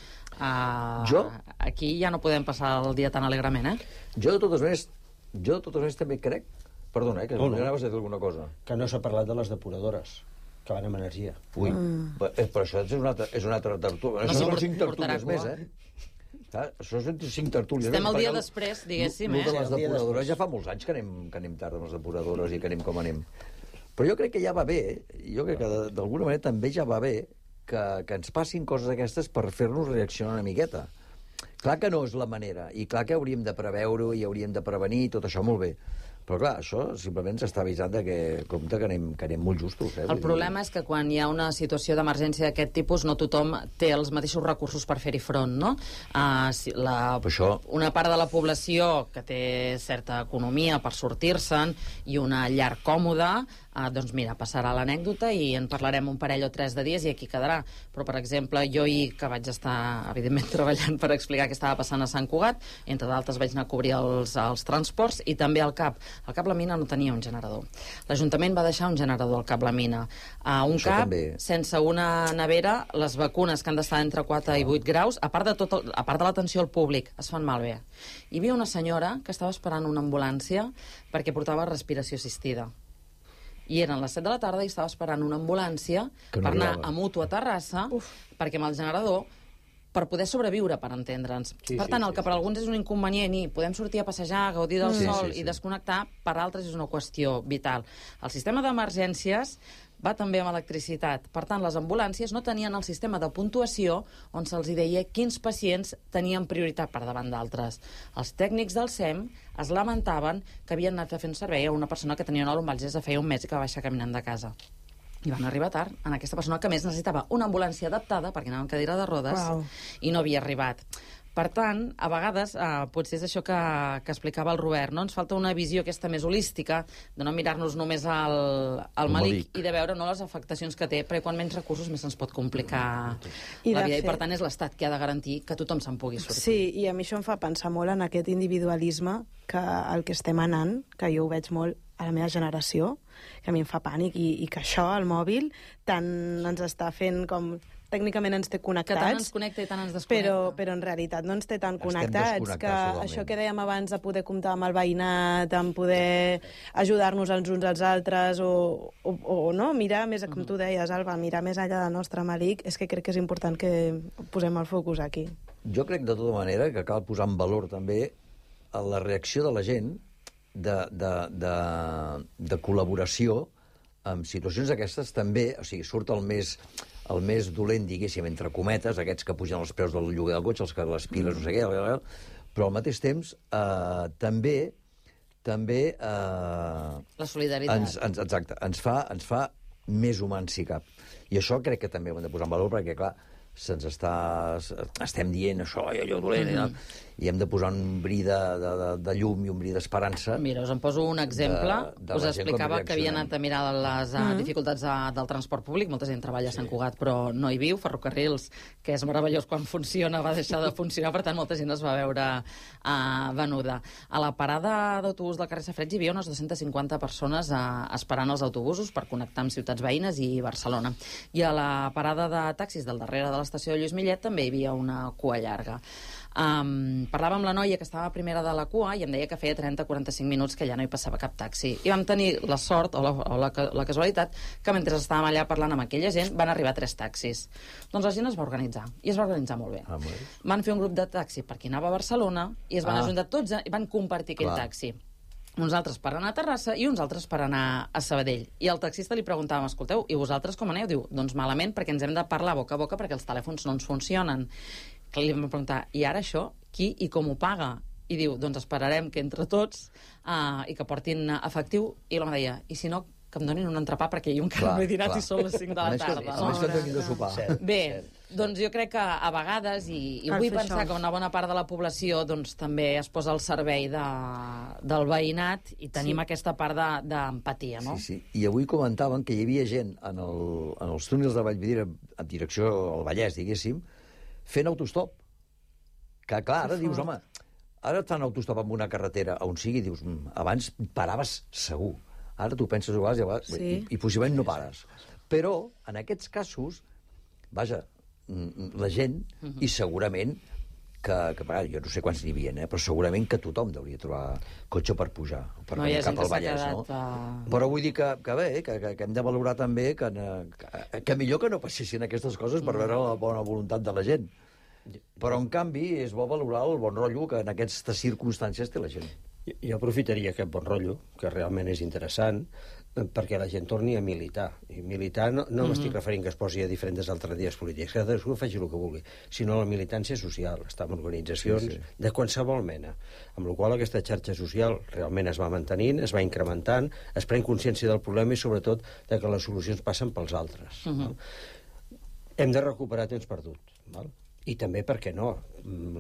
Uh, Jo? Aquí ja no podem passar el dia tan alegrement, eh? Jo, de totes maneres, jo de totes maneres també crec... Perdona, eh, que No, no. anaves a dir alguna cosa. Que no s'ha parlat de les depuradores, que van amb energia. Ui, mm. però això és una altra, és una altra tertúlia. No, Això sí, són port- cinc portarà tertúlies més, cua. eh? Ah, això són cinc tertúlies. Estem més, el dia perquè després, diguéssim, el eh? de les Sí, el dia depuradores després. ja fa molts anys que anem, que anem tard amb les depuradores i que anem com anem. Però jo crec que ja va bé, jo crec que de- d'alguna manera també ja va bé que, que ens passin coses d'aquestes per fer-nos reaccionar una miqueta. Clar que no és la manera, i clar que hauríem de preveure-ho i hauríem de prevenir, i tot això molt bé. Però clar, això simplement s'està avisant de que, compte, que anem, que anem molt justos. Eh? El problema és que quan hi ha una situació d'emergència d'aquest tipus no tothom té els mateixos recursos per fer-hi front, no? Uh, si la, Per això- una part de la població que té certa economia per sortir-se'n i una llar còmoda, uh, doncs mira, passarà l'anècdota i en parlarem un parell o tres de dies i aquí quedarà. Però, per exemple, jo ahir, que vaig estar, evidentment, treballant per explicar què estava passant a Sant Cugat, entre d'altres vaig anar a cobrir els, els transports i també al CAP. El Cap La Mina no tenia un generador. L'Ajuntament va deixar un generador al Cap La Mina. A un Això CAP, també. sense una nevera, les vacunes que han d'estar entre quatre i vuit graus, a part de, tot el, a part de l'atenció al públic, es fan malbé. Hi havia una senyora que estava esperant una ambulància perquè portava respiració assistida. I eren les set de la tarda i estava esperant una ambulància Que no per anar arribava. a Mutu a Terrassa, Uf. perquè amb el generador per poder sobreviure, per entendre'ns. Sí, per sí, tant, el sí, que per alguns és un inconvenient i podem sortir a passejar, gaudir del Sí, sol sí, sí. i desconnectar, per altres és una qüestió vital. El sistema d'emergències va també amb electricitat. Per tant, les ambulàncies no tenien el sistema de puntuació on se'ls deia quins pacients tenien prioritat per davant d'altres. Els tècnics del S E M es lamentaven que havien anat a fer un servei a una persona que tenia una lumbalgia des de feia un mes i que va baixar caminant de casa. I van arribar tard en aquesta persona que a més necessitava una ambulància adaptada perquè anava en cadira de rodes Uau. i no havia arribat. Per tant, a vegades, eh, potser és això que, que explicava el Robert, no? Ens falta una visió aquesta més holística, de no mirar-nos només al, al El malic malic. i de veure no les afectacions que té, perquè quan menys recursos més se'ns pot complicar I la de vida. I per fet- tant és l'Estat qui ha de garantir que tothom se'n pugui sortir. Sí, i a mi això em fa pensar molt en aquest individualisme que el que estem anant, que jo ho veig molt a la meva generació, que a mi em fa pànic, i, i que això, el mòbil, tant ens està fent com... Tècnicament ens té Que connectats, tant ens connecta i tant ens desconnecta. però, però en realitat no ens té tan Estem connectats, que desconnectats totalment. això que dèiem abans de poder comptar amb el veïnat, amb poder ajudar-nos els uns als altres, o, o, o no, mirar més, com tu deies, Alba, mirar més enllà del nostre malic, és que crec que és important que posem el focus aquí. Jo crec, de tota manera, que cal posar en valor també a la reacció de la gent de, de, de, de col·laboració en situacions d'aquestes també, o sigui, surt el més, el més dolent, diguéssim, entre cometes, aquests que pugen els preus del lloguer del cotxe, els que les piles, no sé què, però al mateix temps eh, també també eh, La solidaritat. ens, ens, exacte, ens fa, ens fa més humans si cap. I això crec que també ho hem de posar en valor perquè, clar, se'ns està... estem dient això i allò dolent, mm -hmm. i hem de posar un bri de, de, de, de llum i un bri d'esperança. Mira, us en poso un exemple. De- de us la gent com explicava que havia reaccionem. anat a mirar les uh, dificultats de, del transport públic. Molta gent treballa a Sant Cugat, però no hi viu. Ferrocarrils, que és meravellós quan funciona, va deixar de funcionar, per tant, molta gent es va veure uh, venuda. A la parada d'autobús del carrer Safareig hi havia unes dues-centes cinquanta persones uh, esperant els autobusos per connectar amb ciutats veïnes i Barcelona. I a la parada de taxis del darrere de l'estació de Lluís Millet també hi havia una cua llarga. Um, parlava amb la noia que estava a primera de la cua i em deia que feia trenta a quaranta-cinc minuts que ja no hi passava cap taxi. I vam tenir la sort, o la, o la, la casualitat, que mentre estàvem allà parlant amb aquella gent van arribar tres taxis. Doncs la gent es va organitzar, i es va organitzar molt bé. Ah, molt bé. Van fer un grup de taxi per qui anava a Barcelona i es van Ah. ajuntar tots i van compartir aquell Clar. taxi. Uns altres per anar a Terrassa i uns altres per anar a Sabadell. I al taxista li preguntàvem, escolteu, i vosaltres com aneu? Diu, doncs malament, perquè ens hem de parlar boca a boca perquè els telèfons no ens funcionen. Que li vam preguntar, i ara això, qui i com ho paga? i diu, doncs esperarem que entre tots uh, i que portin efectiu, i l'home deia, i si no, que em donin un entrepà perquè jo encara clar, no he dinat clar. I són les cinc de la tarda. A més que et donin de sopar. Bé, doncs jo crec que a vegades, i, i vull pensar que una bona part de la població doncs, també es posa al servei de, del veïnat i tenim sí. aquesta part d'empatia, no? Sí, sí. I avui comentaven que hi havia gent en, el, en els túnels de Vallvidrera, en direcció al Vallès, diguéssim, fent autostop. Que clar, ara dius, home, ara et fan autostop amb una carretera on sigui, dius, abans paraves segur. Ara tu penses a vegades i, a vegades, sí. i, i possiblement no pares. Però, en aquests casos, vaja, la gent, uh-huh. i segurament que, que jo no sé quants n'hi havia, eh, però segurament que tothom hauria trobar cotxe per pujar, per no, venir cap al Vallès, no? A... Però vull dir que, que bé, que, que, que hem de valorar també que, que, que millor que no passessin aquestes coses per veure la bona voluntat de la gent. Però, en canvi, és bo valorar el bon rotllo que en aquestes circumstàncies té la gent. Jo aprofitaria aquest bon rotllo, que realment és interessant, perquè la gent torni a militar. I militar no, no m'estic mm-hmm. referint que es posi a diferents alternatives polítiques, que cadascú faci el que vulgui, sinó la militància social, estar en organitzacions sí, sí. de qualsevol mena. Amb la qual cosa aquesta xarxa social realment es va mantenint, es va incrementant, es pren consciència del problema i sobretot de que les solucions passen pels altres. Mm-hmm. Hem de recuperar temps perdut, val? I també, per què no,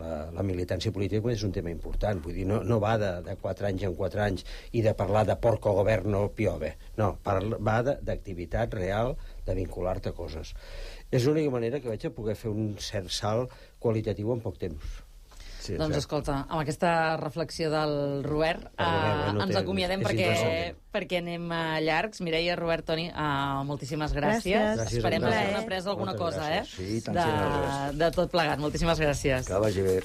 la, la militància política és un tema important. Vull dir, no, no va de, de quatre anys en quatre anys i de parlar de porco governo piove. No, parla, va d'activitat real, de vincular-te a coses. És l'única manera que vaig a poder fer un cert salt qualitatiu en poc temps. Sí, doncs escolta, amb aquesta reflexió del Robert, eh, bueno, ens acomiadem perquè, perquè anem llargs. Mireia, Robert, Toni, uh, moltíssimes gràcies. gràcies. Esperem haver après alguna Moltes cosa eh? sí, de, de tot plegat. Moltíssimes gràcies. Que vagi bé.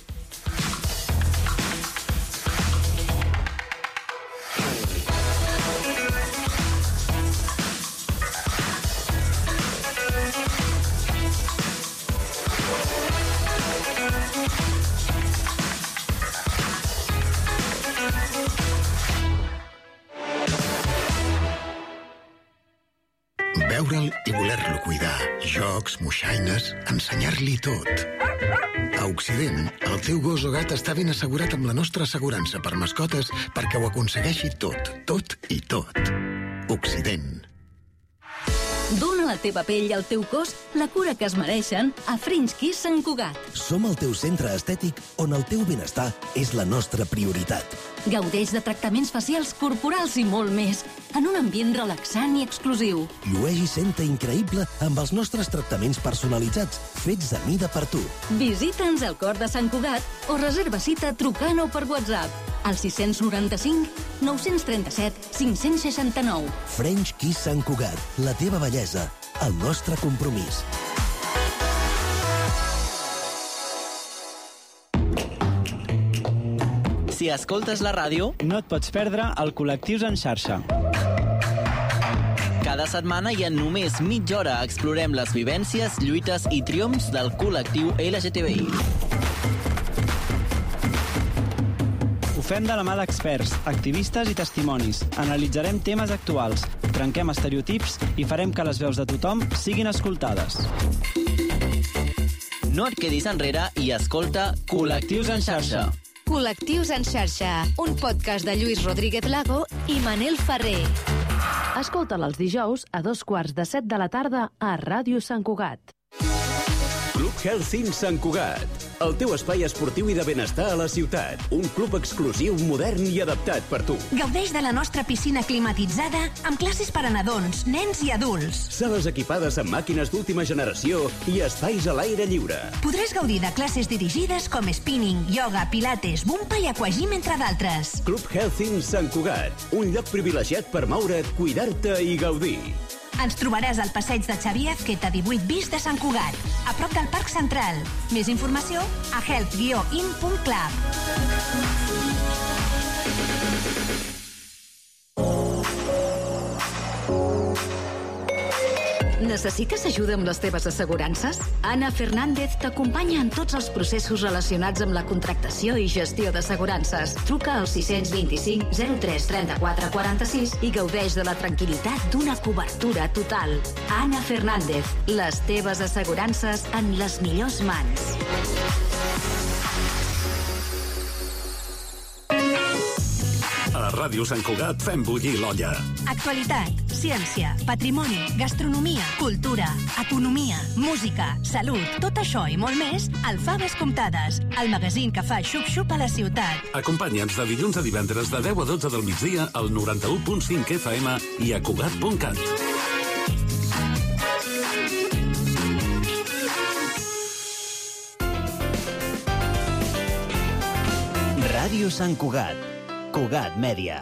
Veure'l i voler-lo cuidar. Jocs, moixaines, ensenyar-li tot. A Occident, el teu gos o gat està ben assegurat amb la nostra assegurança per mascotes perquè ho aconsegueixi tot, tot i tot. Occident. Dóna a la teva pell i al teu cos la cura que es mereixen a French Kiss Sant Cugat. Som el teu centre estètic on el teu benestar és la nostra prioritat. Gaudeix de tractaments facials, corporals i molt més, en un ambient relaxant i exclusiu. Llueix i senta increïble amb els nostres tractaments personalitzats, fets a mida per tu. Visita'ns al cor de Sant Cugat o reserva cita trucant o per WhatsApp al sis noranta-cinc nou trenta-set cinc seixanta-nou. French Kiss Sant Cugat, la teva bellesa, el nostre compromís. Si escoltes la ràdio, no et pots perdre el Col·lectius en xarxa. Cada setmana i en només mitja hora explorem les vivències, lluites i triomfs del col·lectiu L G T B I. Ho fem de la mà d'experts, activistes i testimonis. Analitzarem temes actuals, trenquem estereotips i farem que les veus de tothom siguin escoltades. No et quedis enrere i escolta Col·lectius en xarxa. Col·lectius en xarxa, un podcast de Lluís Rodríguez Lago i Manel Ferrer. Escolta'l els dijous a dos quarts de set de la tarda a Ràdio Sant Cugat. Club Health Sant Cugat, el teu espai esportiu i de benestar a la ciutat. Un club exclusiu, modern i adaptat per tu. Gaudeix de la nostra piscina climatitzada amb classes per a nadons, nens i adults. Sales equipades amb màquines d'última generació i espais a l'aire lliure. Podràs gaudir de classes dirigides com spinning, yoga, pilates, bumpa i aquagym, entre d'altres. Club Health Sant Cugat, un lloc privilegiat per moure't, cuidar-te i gaudir. Ens trobaràs al passeig de Xavier Azqueta divuit bis de Sant Cugat, a prop del Parc Central. Més informació a health guió in punt club. Necessites ajuda amb les teves assegurances? Ana Fernández t'acompanya en tots els processos relacionats amb la contractació i gestió d'assegurances. Truca al sis dos cinc zero tres trenta-quatre quaranta-sis i gaudeix de la tranquil·litat d'una cobertura total. Ana Fernández, les teves assegurances en les millors mans. Ràdio Sant Cugat fem bullir l'olla. Actualitat, ciència, patrimoni, gastronomia, cultura, economia, música, salut, tot això i molt més al Faves Comptades, el magazín que fa xup-xup a la ciutat. Acompanya'ns de dilluns a divendres de deu a dotze del migdia al noranta-u punt cinc F M i a Cugat punt cat. Ràdio Sant Cugat. Cugat Mèdia.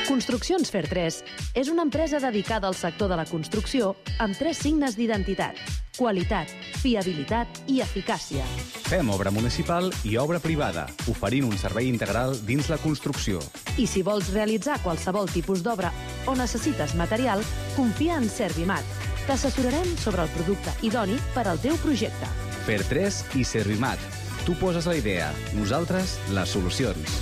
Construccions Fer tres és una empresa dedicada al sector de la construcció amb tres signes d'identitat: qualitat, fiabilitat i eficàcia. Fem obra municipal i obra privada, oferint un servei integral dins la construcció. I si vols realitzar qualsevol tipus d'obra o necessites material, confia en Servimat. T'assessorarem sobre el producte idoni per al teu projecte. Fer tres i Servimat. Tu poses la idea, nosaltres les solucions.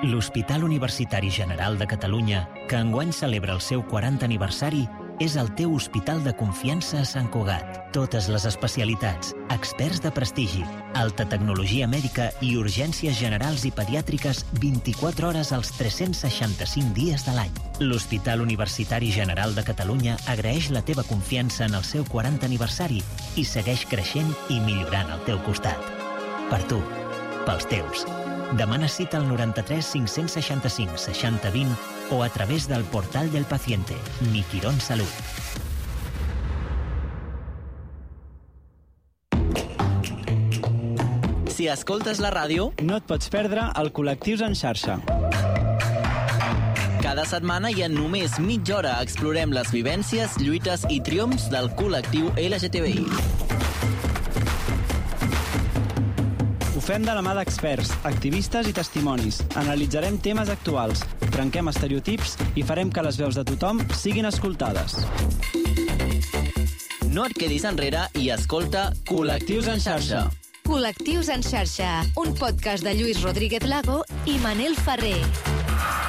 L'Hospital Universitari General de Catalunya, que enguany celebra el seu quaranta aniversari, és el teu hospital de confiança a Sant Cugat. Totes les especialitats, experts de prestigi, alta tecnologia mèdica i urgències generals i pediàtriques vint-i-quatre hores als tres-cents seixanta-cinc dies de l'any. L'Hospital Universitari General de Catalunya agraeix la teva confiança en el seu quaranta aniversari i segueix creixent i millorant al teu costat. Per tu, pels teus. Demana cita al noranta-tres cinc-cents seixanta-cinc seixanta vint o a través del portal del paciente, Mi Quirón Salut. Si escoltes la ràdio, no et pots perdre el Col·lectius en xarxa. Cada setmana i en només mitja hora explorem les vivències, lluites i triomfs del col·lectiu L G T B I. Ho fem de la mà d'experts, activistes i testimonis. Analitzarem temes actuals, trenquem estereotips i farem que les veus de tothom siguin escoltades. No et quedis enrere i escolta Col·lectius en xarxa. Col·lectius en xarxa, un podcast de Lluís Rodríguez Lago i Manel Ferrer.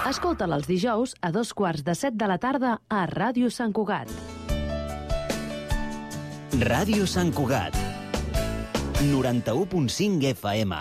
Escolta'l els dijous a dos quarts de set de la tarda a Ràdio Sant Cugat. Ràdio Sant Cugat. noranta-u punt cinc F M.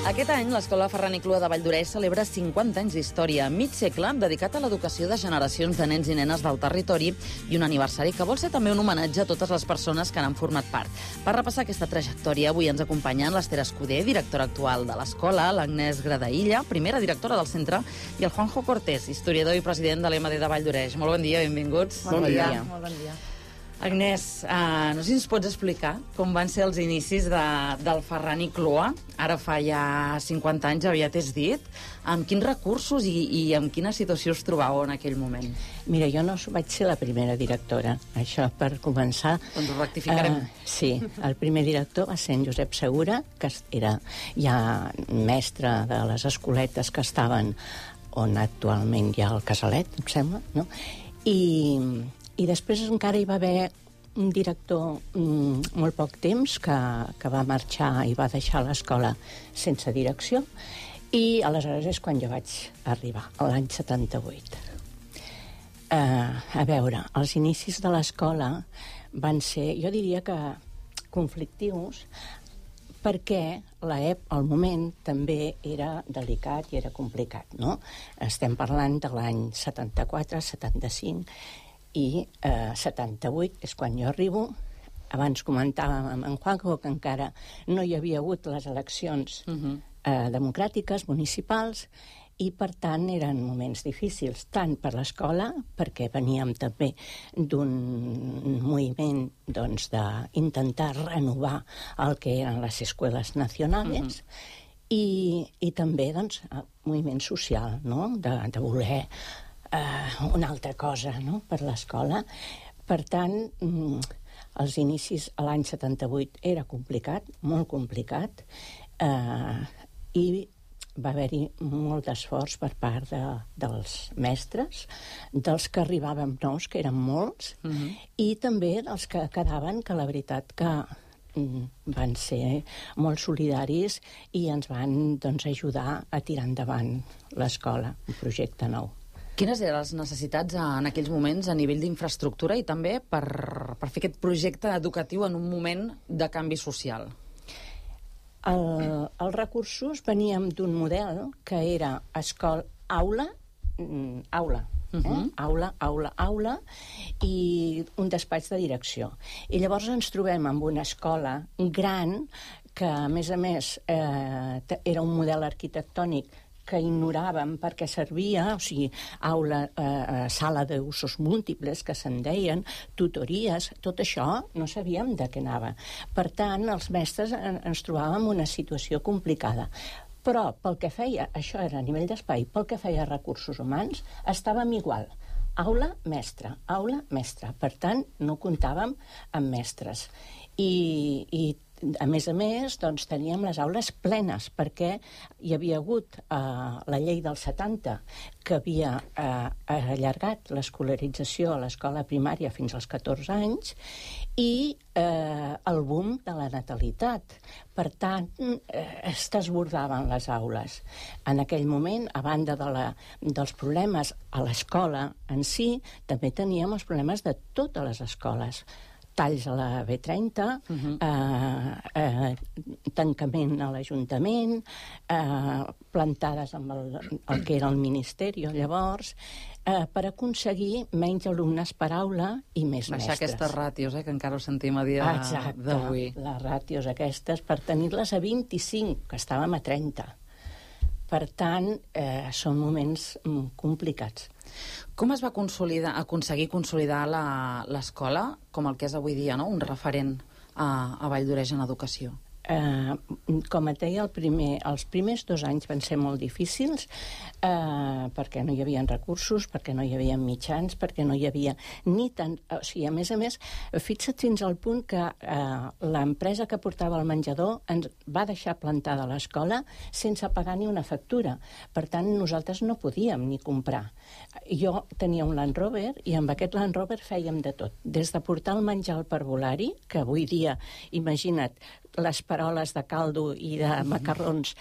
Aquest any, l'Escola Ferran i Clua de Valldoreix celebra cinquanta anys d'història, mig segle dedicat a l'educació de generacions de nens i nenes del territori i un aniversari que vol ser també un homenatge a totes les persones que n'han format part. Per repassar aquesta trajectòria, avui ens acompanyen l'Ester Escudé, directora actual de l'escola, l'Agnès Gradaïlla, primera directora del centre, i el Juanjo Cortés, historiador i president de l'E M D de Valldoreix. Molt bon dia, benvinguts. Bon, bon dia. dia. Molt bon dia. Agnès, uh, no sé si ens pots explicar com van ser els inicis de, del Ferran i Clua, ara fa ja cinquanta anys, aviat és dit, amb quins recursos i, i amb quina situació us trobàveu en aquell moment? Mira, jo no vaig ser la primera directora, això per començar. Doncs ho rectificarem. Uh, sí, el primer director va ser en Josep Segura, que era ja mestre de les escoletes que estaven on actualment hi ha el Casalet, em sembla, no? I... I després encara hi va haver un director mm, molt poc temps que, que va marxar i va deixar l'escola sense direcció, i aleshores és quan jo vaig arribar, l'any setanta-vuit. Uh, a veure, els inicis de l'escola van ser, jo diria que conflictius, perquè el moment també era delicat i era complicat, no? Estem parlant de l'any setanta-quatre setanta-cinc, i eh, setanta-vuit és quan jo arribo. Abans comentàvem amb en Juanjo que encara no hi havia hagut les eleccions uh-huh. eh, democràtiques, municipals, i per tant eren moments difícils, tant per l'escola, perquè veníem també d'un moviment doncs, d'intentar renovar el que eren les escoles nacionals, uh-huh. i, i també doncs, moviment social, no? de, de voler Uh, una altra cosa, no?, per l'escola. Per tant, mm, els inicis a l'any setanta-vuit era complicat, molt complicat, uh, i va haver-hi molt d'esforç per part de, dels mestres, dels que arribàvem nous, que eren molts, uh-huh. i també dels que quedaven, que la veritat que van ser molt solidaris i ens van doncs, ajudar a tirar endavant l'escola, un projecte nou. Quines eren les necessitats en aquells moments a nivell d'infraestructura i també per, per fer aquest projecte educatiu en un moment de canvi social? El, els recursos veníem d'un model que era escola, aula, aula, eh? Uh-huh. aula, aula, aula i un despatx de direcció. I llavors ens trobem amb una escola gran que, a més a més, eh, era un model arquitectònic que ignoràvem perquè servia, o sigui, aula, eh, sala d'usos múltiples, que se'n deien, tutories, tot això no sabíem de què anava. Per tant, els mestres ens trobàvem en una situació complicada. Però pel que feia, això era a nivell d'espai, pel que feia recursos humans, estàvem igual. Aula, mestre, aula, mestre. Per tant, no comptàvem amb mestres. I, i a més a més, doncs, teníem les aules plenes, perquè hi havia hagut eh, la llei del setanta, que havia eh, allargat l'escolarització a l'escola primària fins als catorze anys, i eh, el boom de la natalitat. Per tant, eh, es desbordaven les aules. En aquell moment, a banda de la, dels problemes a l'escola en si, també teníem els problemes de totes les escoles. Talls a la B trenta, uh-huh. eh, eh, tancament a l'Ajuntament, eh, plantades amb el, el que era el Ministeri llavors, eh, per aconseguir menys alumnes per aula i més Baixar mestres. aquestes ràtios, eh, que encara ho sentim a dia d'avui. Exacte, les ràtios aquestes, per tenir-les a vint-i-cinc, que estàvem a trenta. Per tant, eh, són moments mm, complicats. Com es va consolidar, aconseguir consolidar l'escola com el que és avui dia, no? Un referent a, a Valldoreix en educació? Eh, com et deia, el primer, els primers dos anys van ser molt difícils eh, perquè no hi havia recursos, perquè no hi havia mitjans, perquè no hi havia ni tant... O sigui, a més a més, fixa't fins al punt que eh, l'empresa que portava el menjador ens va deixar plantada a l'escola sense pagar ni una factura. Per tant, nosaltres no podíem ni comprar. Jo tenia un Land Rover i amb aquest Land Rover fèiem de tot. Des de portar el menjar al parvulari, que avui dia, imagina't, les paroles de caldo i de macarrons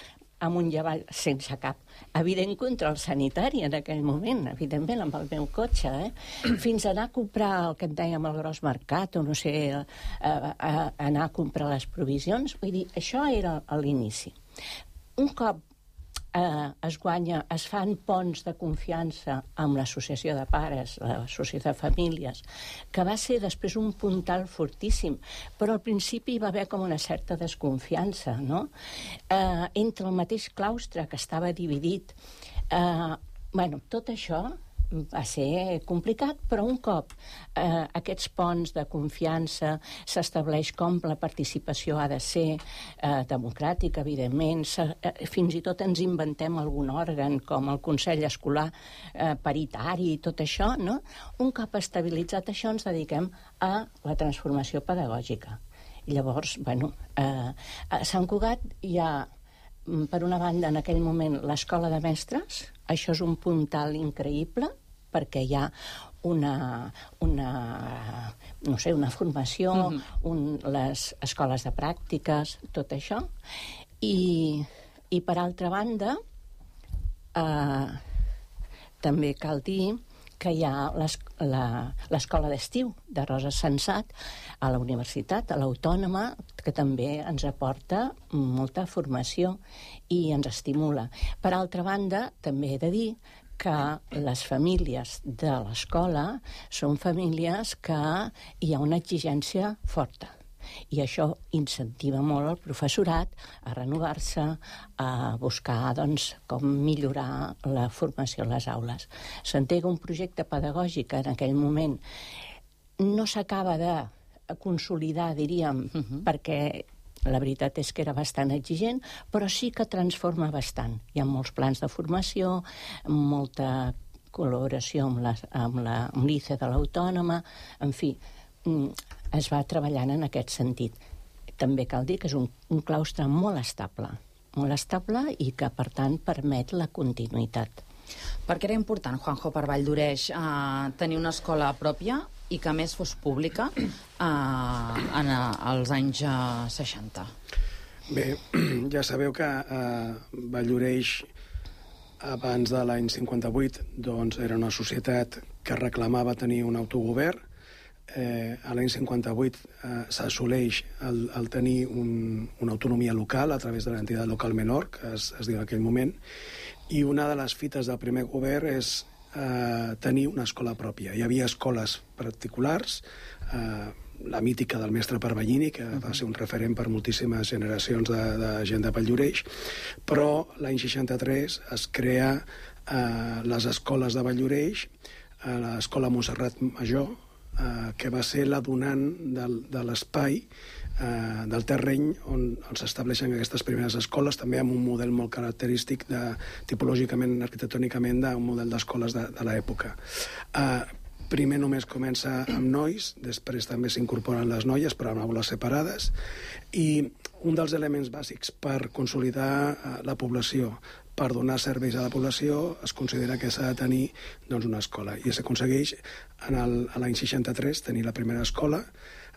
amunt i avall sense cap. Evident control sanitari en aquell moment, evidentment, amb el meu cotxe, eh? Fins a anar a comprar el que en dèiem el gros mercat, o no sé, a, a, a anar a comprar les provisions. Vull dir, això era a l'inici. Un cop eh, es guanya, es fan ponts de confiança amb l'associació de pares, l'associació de famílies, que va ser després un puntal fortíssim, però al principi hi va haver com una certa desconfiança, no? Eh, entre el mateix claustre, que estava dividit. Eh, bueno, tot això va ser complicat, però un cop eh, aquests ponts de confiança s'estableix com la participació ha de ser eh, democràtica, evidentment, eh, fins i tot ens inventem algun òrgan com el Consell Escolar eh, paritari i tot això, no? Un cop estabilitzat això ens dediquem a la transformació pedagògica. I llavors, bueno, eh, a Sant Cugat hi ha, per una banda, en aquell moment, l'escola de mestres. Això és un puntal increïble, perquè hi ha una, una, no sé, una formació, mm-hmm. un, les escoles de pràctiques, tot això. I, i per altra banda, eh, també cal dir que hi ha l'escola d'estiu de Rosa Sensat a la universitat, a l'Autònoma, que també ens aporta molta formació i ens estimula. Per altra banda, també he de dir que les famílies de l'escola són famílies que hi ha una exigència forta. I això incentiva molt el professorat a renovar-se, a buscar doncs, com millorar la formació a les aules. S'entega un projecte pedagògic en aquell moment no s'acaba de consolidar, diríem, uh-huh. perquè la veritat és que era bastant exigent, però sí que transforma bastant. Hi ha molts plans de formació, molta col·laboració amb, la, amb, la, amb l'I C E de l'Autònoma, en fi, es va treballant en aquest sentit. També cal dir que és un, un claustre molt estable, molt estable i que, per tant, permet la continuïtat. Per què era important, Juanjo, per Valldoreix, eh, tenir una escola pròpia i que, a més, fos pública eh, en, als anys eh, seixanta? Bé, ja sabeu que eh, Valldoreix, abans de l'any cinquanta-vuit, doncs, era una societat que reclamava tenir un autogovern. Eh, a l'any cinquanta-vuit eh, s'assoleix el, el tenir un, una autonomia local a través de l'entitat local menor, que es, es diu en aquell moment, i una de les fites del primer govern és eh, tenir una escola pròpia. Hi havia escoles particulars, eh, la mítica del mestre Parvallini, que va ser un referent per moltíssimes generacions de, de gent de Valldoreix, però l'any seixanta-tres es crea eh, les escoles de Valldoreix, eh, l'escola Montserrat Major, eh, que va ser la donant del, de l'espai, eh, del terreny on, on s'estableixen aquestes primeres escoles, també amb un model molt característic, de, tipològicament, arquitectònicament, d'un model d'escoles de, de l'època. Eh, Primer només comença amb nois, després també s'incorporen les noies, però en aules separades, i un dels elements bàsics per consolidar la població, per donar serveis a la població, es considera que s'ha de tenir doncs, una escola. I s'aconsegueix a l'any seixanta-tres tenir la primera escola.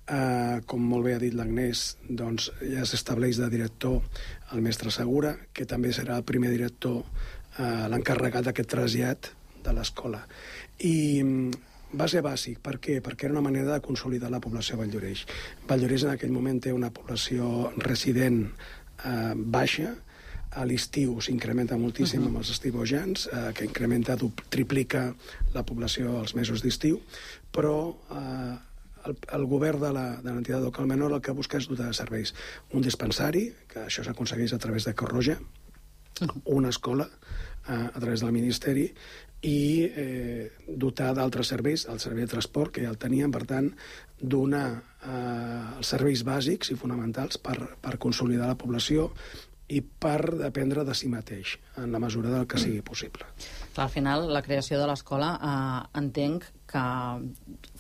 Eh, com molt bé ha dit l'Agnès, doncs, ja s'estableix de director el mestre Segura, que també serà el primer director, eh, l'encarregat d'aquest trasllat de l'escola. I va ser bàsic. Per què? Perquè era una manera de consolidar la població de Valldoreix. Valldoreix en aquell moment té una població resident eh, baixa. A l'estiu s'incrementa moltíssim uh-huh. amb els estiuejants, eh, que incrementa, triplica la població als mesos d'estiu, però eh, el, el govern de l'entitat local menor el que busca és dotar de serveis. Un dispensari, que això s'aconsegueix a través de Creu Roja, una escola eh, a través del Ministeri, i eh, dotar d'altres serveis, el servei de transport, que ja el tenien, per tant, donar eh, els serveis bàsics i fonamentals per, per consolidar la població i per dependre de si mateix, en la mesura del que sigui possible. Al final, la creació de l'escola eh, entenc que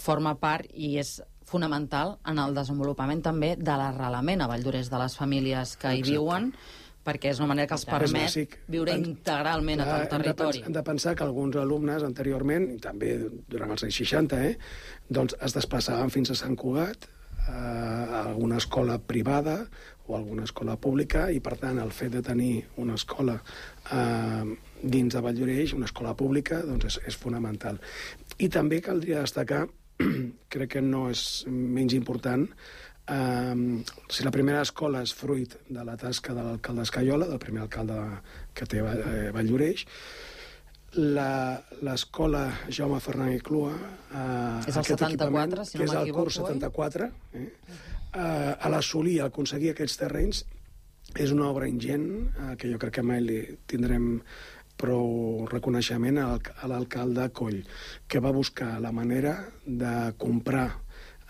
forma part i és fonamental en el desenvolupament també de l'arrelament a Valldoreix de les famílies que hi viuen, perquè és una manera que els permet viure integralment a tot el territori. Hem de pensar que alguns alumnes anteriorment, i també durant els anys seixanta, eh, doncs es desplaçaven fins a Sant Cugat, a alguna escola privada o alguna escola pública, i per tant el fet de tenir una escola eh, dins de Valldoreix, una escola pública, doncs és, és fonamental. I també caldria destacar, crec que no és menys important, Uh, si la primera escola és fruit de la tasca de l'alcalde Escaiola, del primer alcalde que té eh, Valldoreix, l'escola Jaume Fernández Clua, uh, és el setanta-quatre, si no m'equivoco, que és el curs setanta-quatre, eh? uh, a l'assolir, a aconseguir aquests terrenys, és una obra ingent, uh, que jo crec que mai li tindrem prou reconeixement a l'alcalde Coll, que va buscar la manera de comprar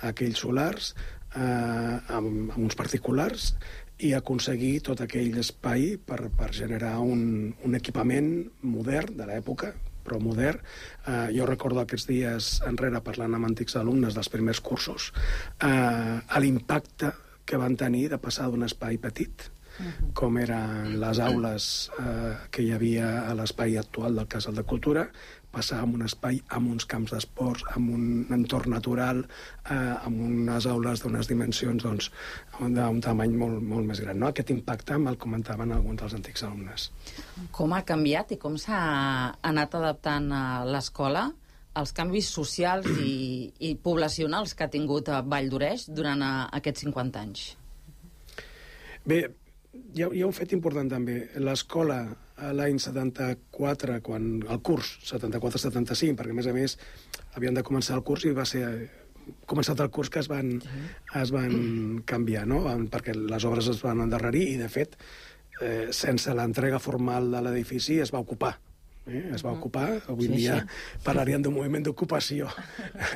aquells solars eh, amb, amb uns particulars i aconseguir tot aquell espai per, per generar un, un equipament modern de l'època, però modern. Eh, jo recordo aquests dies enrere, parlant amb antics alumnes dels primers cursos, eh, l'impacte que van tenir de passar d'un espai petit, uh-huh. com eren les aules eh, que hi havia a l'espai actual del Casal de Cultura, passar amb un espai, amb uns camps d'esports, amb un entorn natural, eh, amb unes aules d'unes dimensions doncs, d'un tamany molt, molt més gran. No? Aquest impacte me'l comentaven alguns dels antics alumnes. Com ha canviat i com s'ha anat adaptant l'escola als canvis socials i, i poblacionals que ha tingut a Valldoreix durant a, aquests cinquanta anys? Bé, hi ha, hi ha un fet important també. L'escola, l'any setanta-quatre, quan el curs setanta-quatre setanta-cinc, perquè a més a més havien de començar el curs i va ser començat el curs que es van, es van canviar, no? Perquè les obres es van endarrerir i, de fet, eh, sense l'entrega formal de l'edifici es va ocupar. Eh? Es va ocupar, avui sí, dia sí. Parlaríem d'un moviment d'ocupació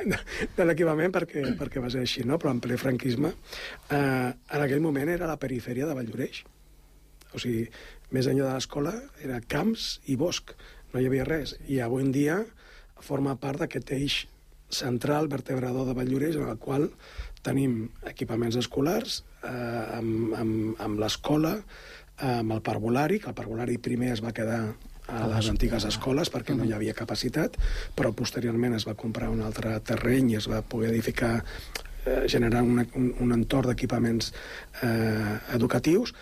de, de l'equipament perquè, perquè va ser així, no? Però en ple franquisme, eh, en aquell moment era la perifèria de Valldoreix. O sigui, més enllà de l'escola era camps i bosc, no hi havia res. I avui en dia forma part d'aquest eix central vertebrador de Valldoreix, en el qual tenim equipaments escolars, eh, amb, amb, amb l'escola, amb el parvulari, que el parvulari primer es va quedar a les antigues escoles perquè no hi havia capacitat, però posteriorment es va comprar un altre terreny i es va poder edificar, eh, generar una, un, un entorn d'equipaments eh, educatius.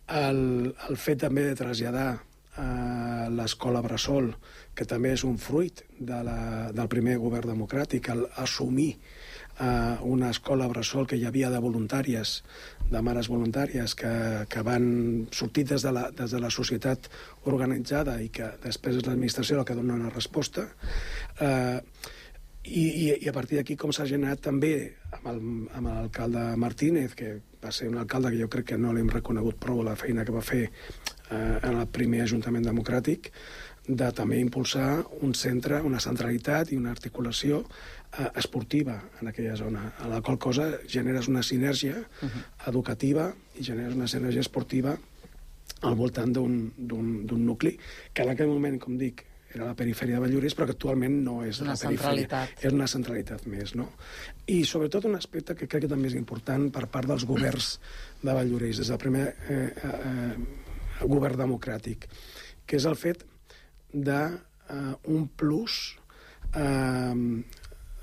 El, el fet també de traslladar a l'escola Bressol, que també és un fruit de la, del primer govern democràtic, el assumir uh, una escola Bressol que hi havia de voluntàries, de mares voluntàries, que, que van sortir des de, la, des de la societat organitzada i que després és l'administració la que dona una resposta. Uh, i, i, I a partir d'aquí com s'ha generat també amb l'alcalde Martínez, que va ser un alcalde que jo crec que no l'hem reconegut prou la feina que va fer eh, en el primer Ajuntament Democràtic, de també impulsar un centre, una centralitat i una articulació eh, esportiva en aquella zona, a la qual cosa generes una sinergia uh-huh. educativa i generes una sinergia esportiva al voltant d'un nucli que en aquell moment, com dic, era la perifèria de Valldoreix, però que actualment no és una la perifèria. És una centralitat més, no? I sobretot un aspecte que crec que també és important per part dels governs de Valldoreix, des del primer eh, eh, govern democràtic, que és el fet d'un eh, plus eh,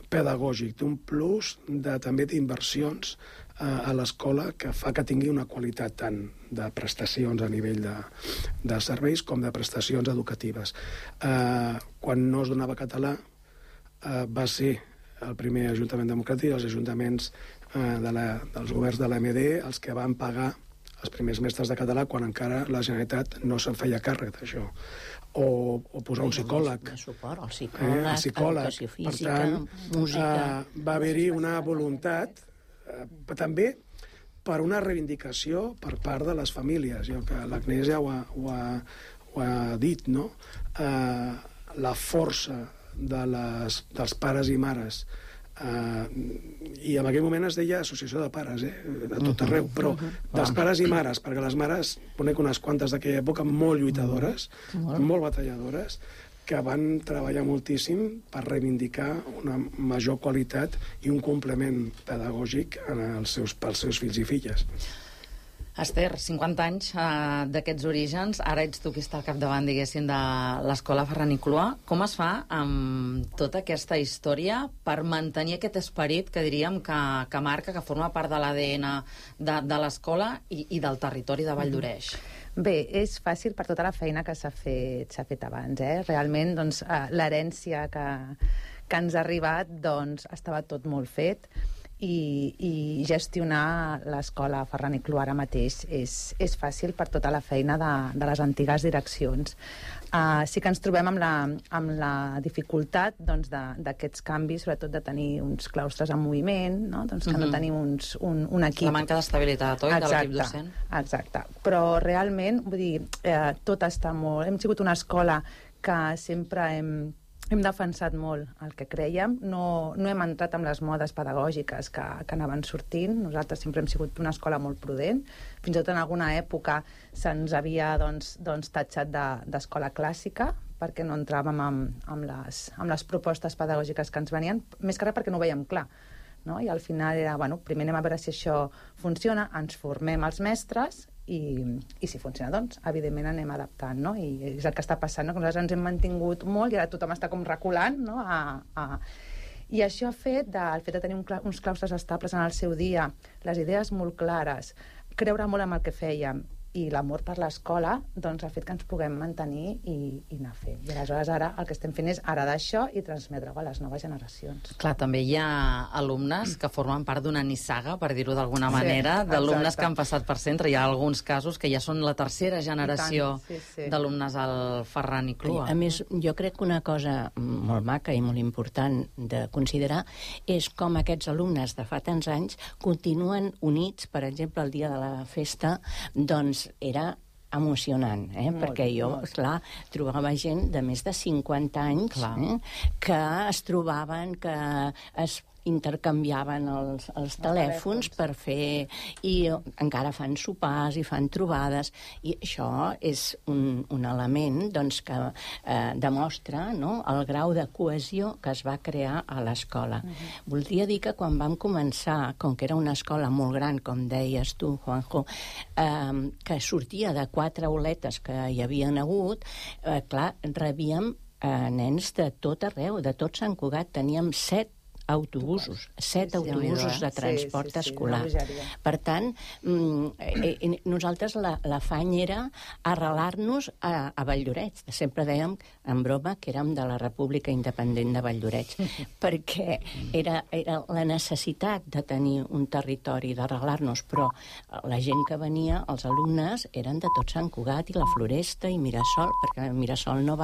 pedagògic, d'un plus de, també d'inversions a l'escola que fa que tingui una qualitat tant de prestacions a nivell de, de serveis com de prestacions educatives. Eh, quan no es donava català eh, va ser el primer Ajuntament Democràtic i els ajuntaments eh, de la, dels governs de l'A M D els que van pagar els primers mestres de català quan encara la Generalitat no se'n feia càrrec d'això. O, o posar un psicòleg. De suport, el psicòleg, eh, el psicòleg. Educació física, per tant, música... Eh, va haver-hi una voluntat eh, també per una reivindicació per part de les famílies. Jo que l'Agnès ja ho ha, ho, ha, ho ha dit, no? Eh, la força de les, dels pares i mares. Uh, i en aquell moment es deia associació de pares, eh? De tot arreu, però dels pares i mares, perquè les mares, conec unes quantes d'aquella època molt lluitadores, molt batalladores, que van treballar moltíssim per reivindicar una major qualitat i un complement pedagògic en els seus, pels seus fills i filles. Esther, cinquanta anys eh, d'aquests orígens, ara ets tu qui està al capdavant, diguéssim, de l'escola Ferran i Cluà. Com es fa amb tota aquesta història per mantenir aquest esperit que diríem que, que marca, que forma part de l'A D N de, de l'escola i, i del territori de Valldoreix? Bé, és fàcil per tota la feina que s'ha fet, s'ha fet abans. Eh? Realment, doncs, eh, l'herència que, que ens ha arribat doncs, estava tot molt fet. I, i gestionar l'escola Ferran i Cluà ara mateix és, és fàcil per tota la feina de, de les antigues direccions. Uh, sí que ens trobem amb la, amb la dificultat doncs, d'aquests canvis, sobretot de tenir uns claustres en moviment, no? Doncs que mm-hmm. no tenim uns, un, un equip... La manca d'estabilitat, oi, de l'equip docent? Exacte. Però realment, vull dir, eh, tot està molt... Hem sigut una escola que sempre hem... Hem defensat molt el que crèiem, no, no hem entrat amb les modes pedagògiques que, que anaven sortint. Nosaltres sempre hem sigut una escola molt prudent. Fins i tot en alguna època se'ns havia doncs, doncs, tatxat d'escola de, clàssica perquè no entràvem amb, amb, les, amb les propostes pedagògiques que ens venien, més que res perquè no ho veiem clar. No? I al final era, bueno, primer anem a veure si això funciona, ens formem els mestres i, i si funciona, doncs, evidentment anem adaptant, no? I és el que està passant, no? Que nosaltres ens hem mantingut molt i ara tothom està com reculant, no? A, a... I això ha fet, de, el fet de tenir un, uns claustres estables en el seu dia, les idees molt clares, creure molt en el que fèiem, i l'amor per l'escola, doncs ha fet que ens puguem mantenir i, i anar fent. I aleshores ara el que estem fent és heredar això i transmetre-ho a les noves generacions. Clar, també hi ha alumnes que formen part d'una nissaga, per dir-ho d'alguna manera, sí, d'alumnes que han passat per centre. Hi ha alguns casos que ja són la tercera generació sí, sí. d'alumnes al Ferran i Cluà. A més, jo crec que una cosa molt maca i molt important de considerar és com aquests alumnes de fa tants anys continuen units, per exemple, el dia de la festa, doncs era emocionant, eh? Molt, perquè jo, molt. Esclar, trobava gent de més de cinquanta anys eh? que es trobaven, que es intercanviaven els, els telèfons per fer... I encara fan sopars i fan trobades, i això és un, un element doncs, que eh, demostra, no?, el grau de cohesió que es va crear a l'escola. Uh-huh. Voldria dir que quan vam començar, com que era una escola molt gran, com deies tu, Juanjo, eh, que sortia de quatre auletes que hi havien hagut, eh, clar, rebíem eh, nens de tot arreu, de tot Sant Cugat. Teníem set autobusos, set sí, autobusos de transport sí, sí, sí, escolar. Per tant, eh, nosaltres la, l'afany era arrelar-nos a, a Valldoreix. Sempre dèiem, en broma, que érem de la República Independent de Valldoreix, perquè era, era la necessitat de tenir un territori, d'arrelar-nos, però la gent que venia, els alumnes, eren de tot Sant Cugat i la Floresta i Mirasol, perquè Mirasol no va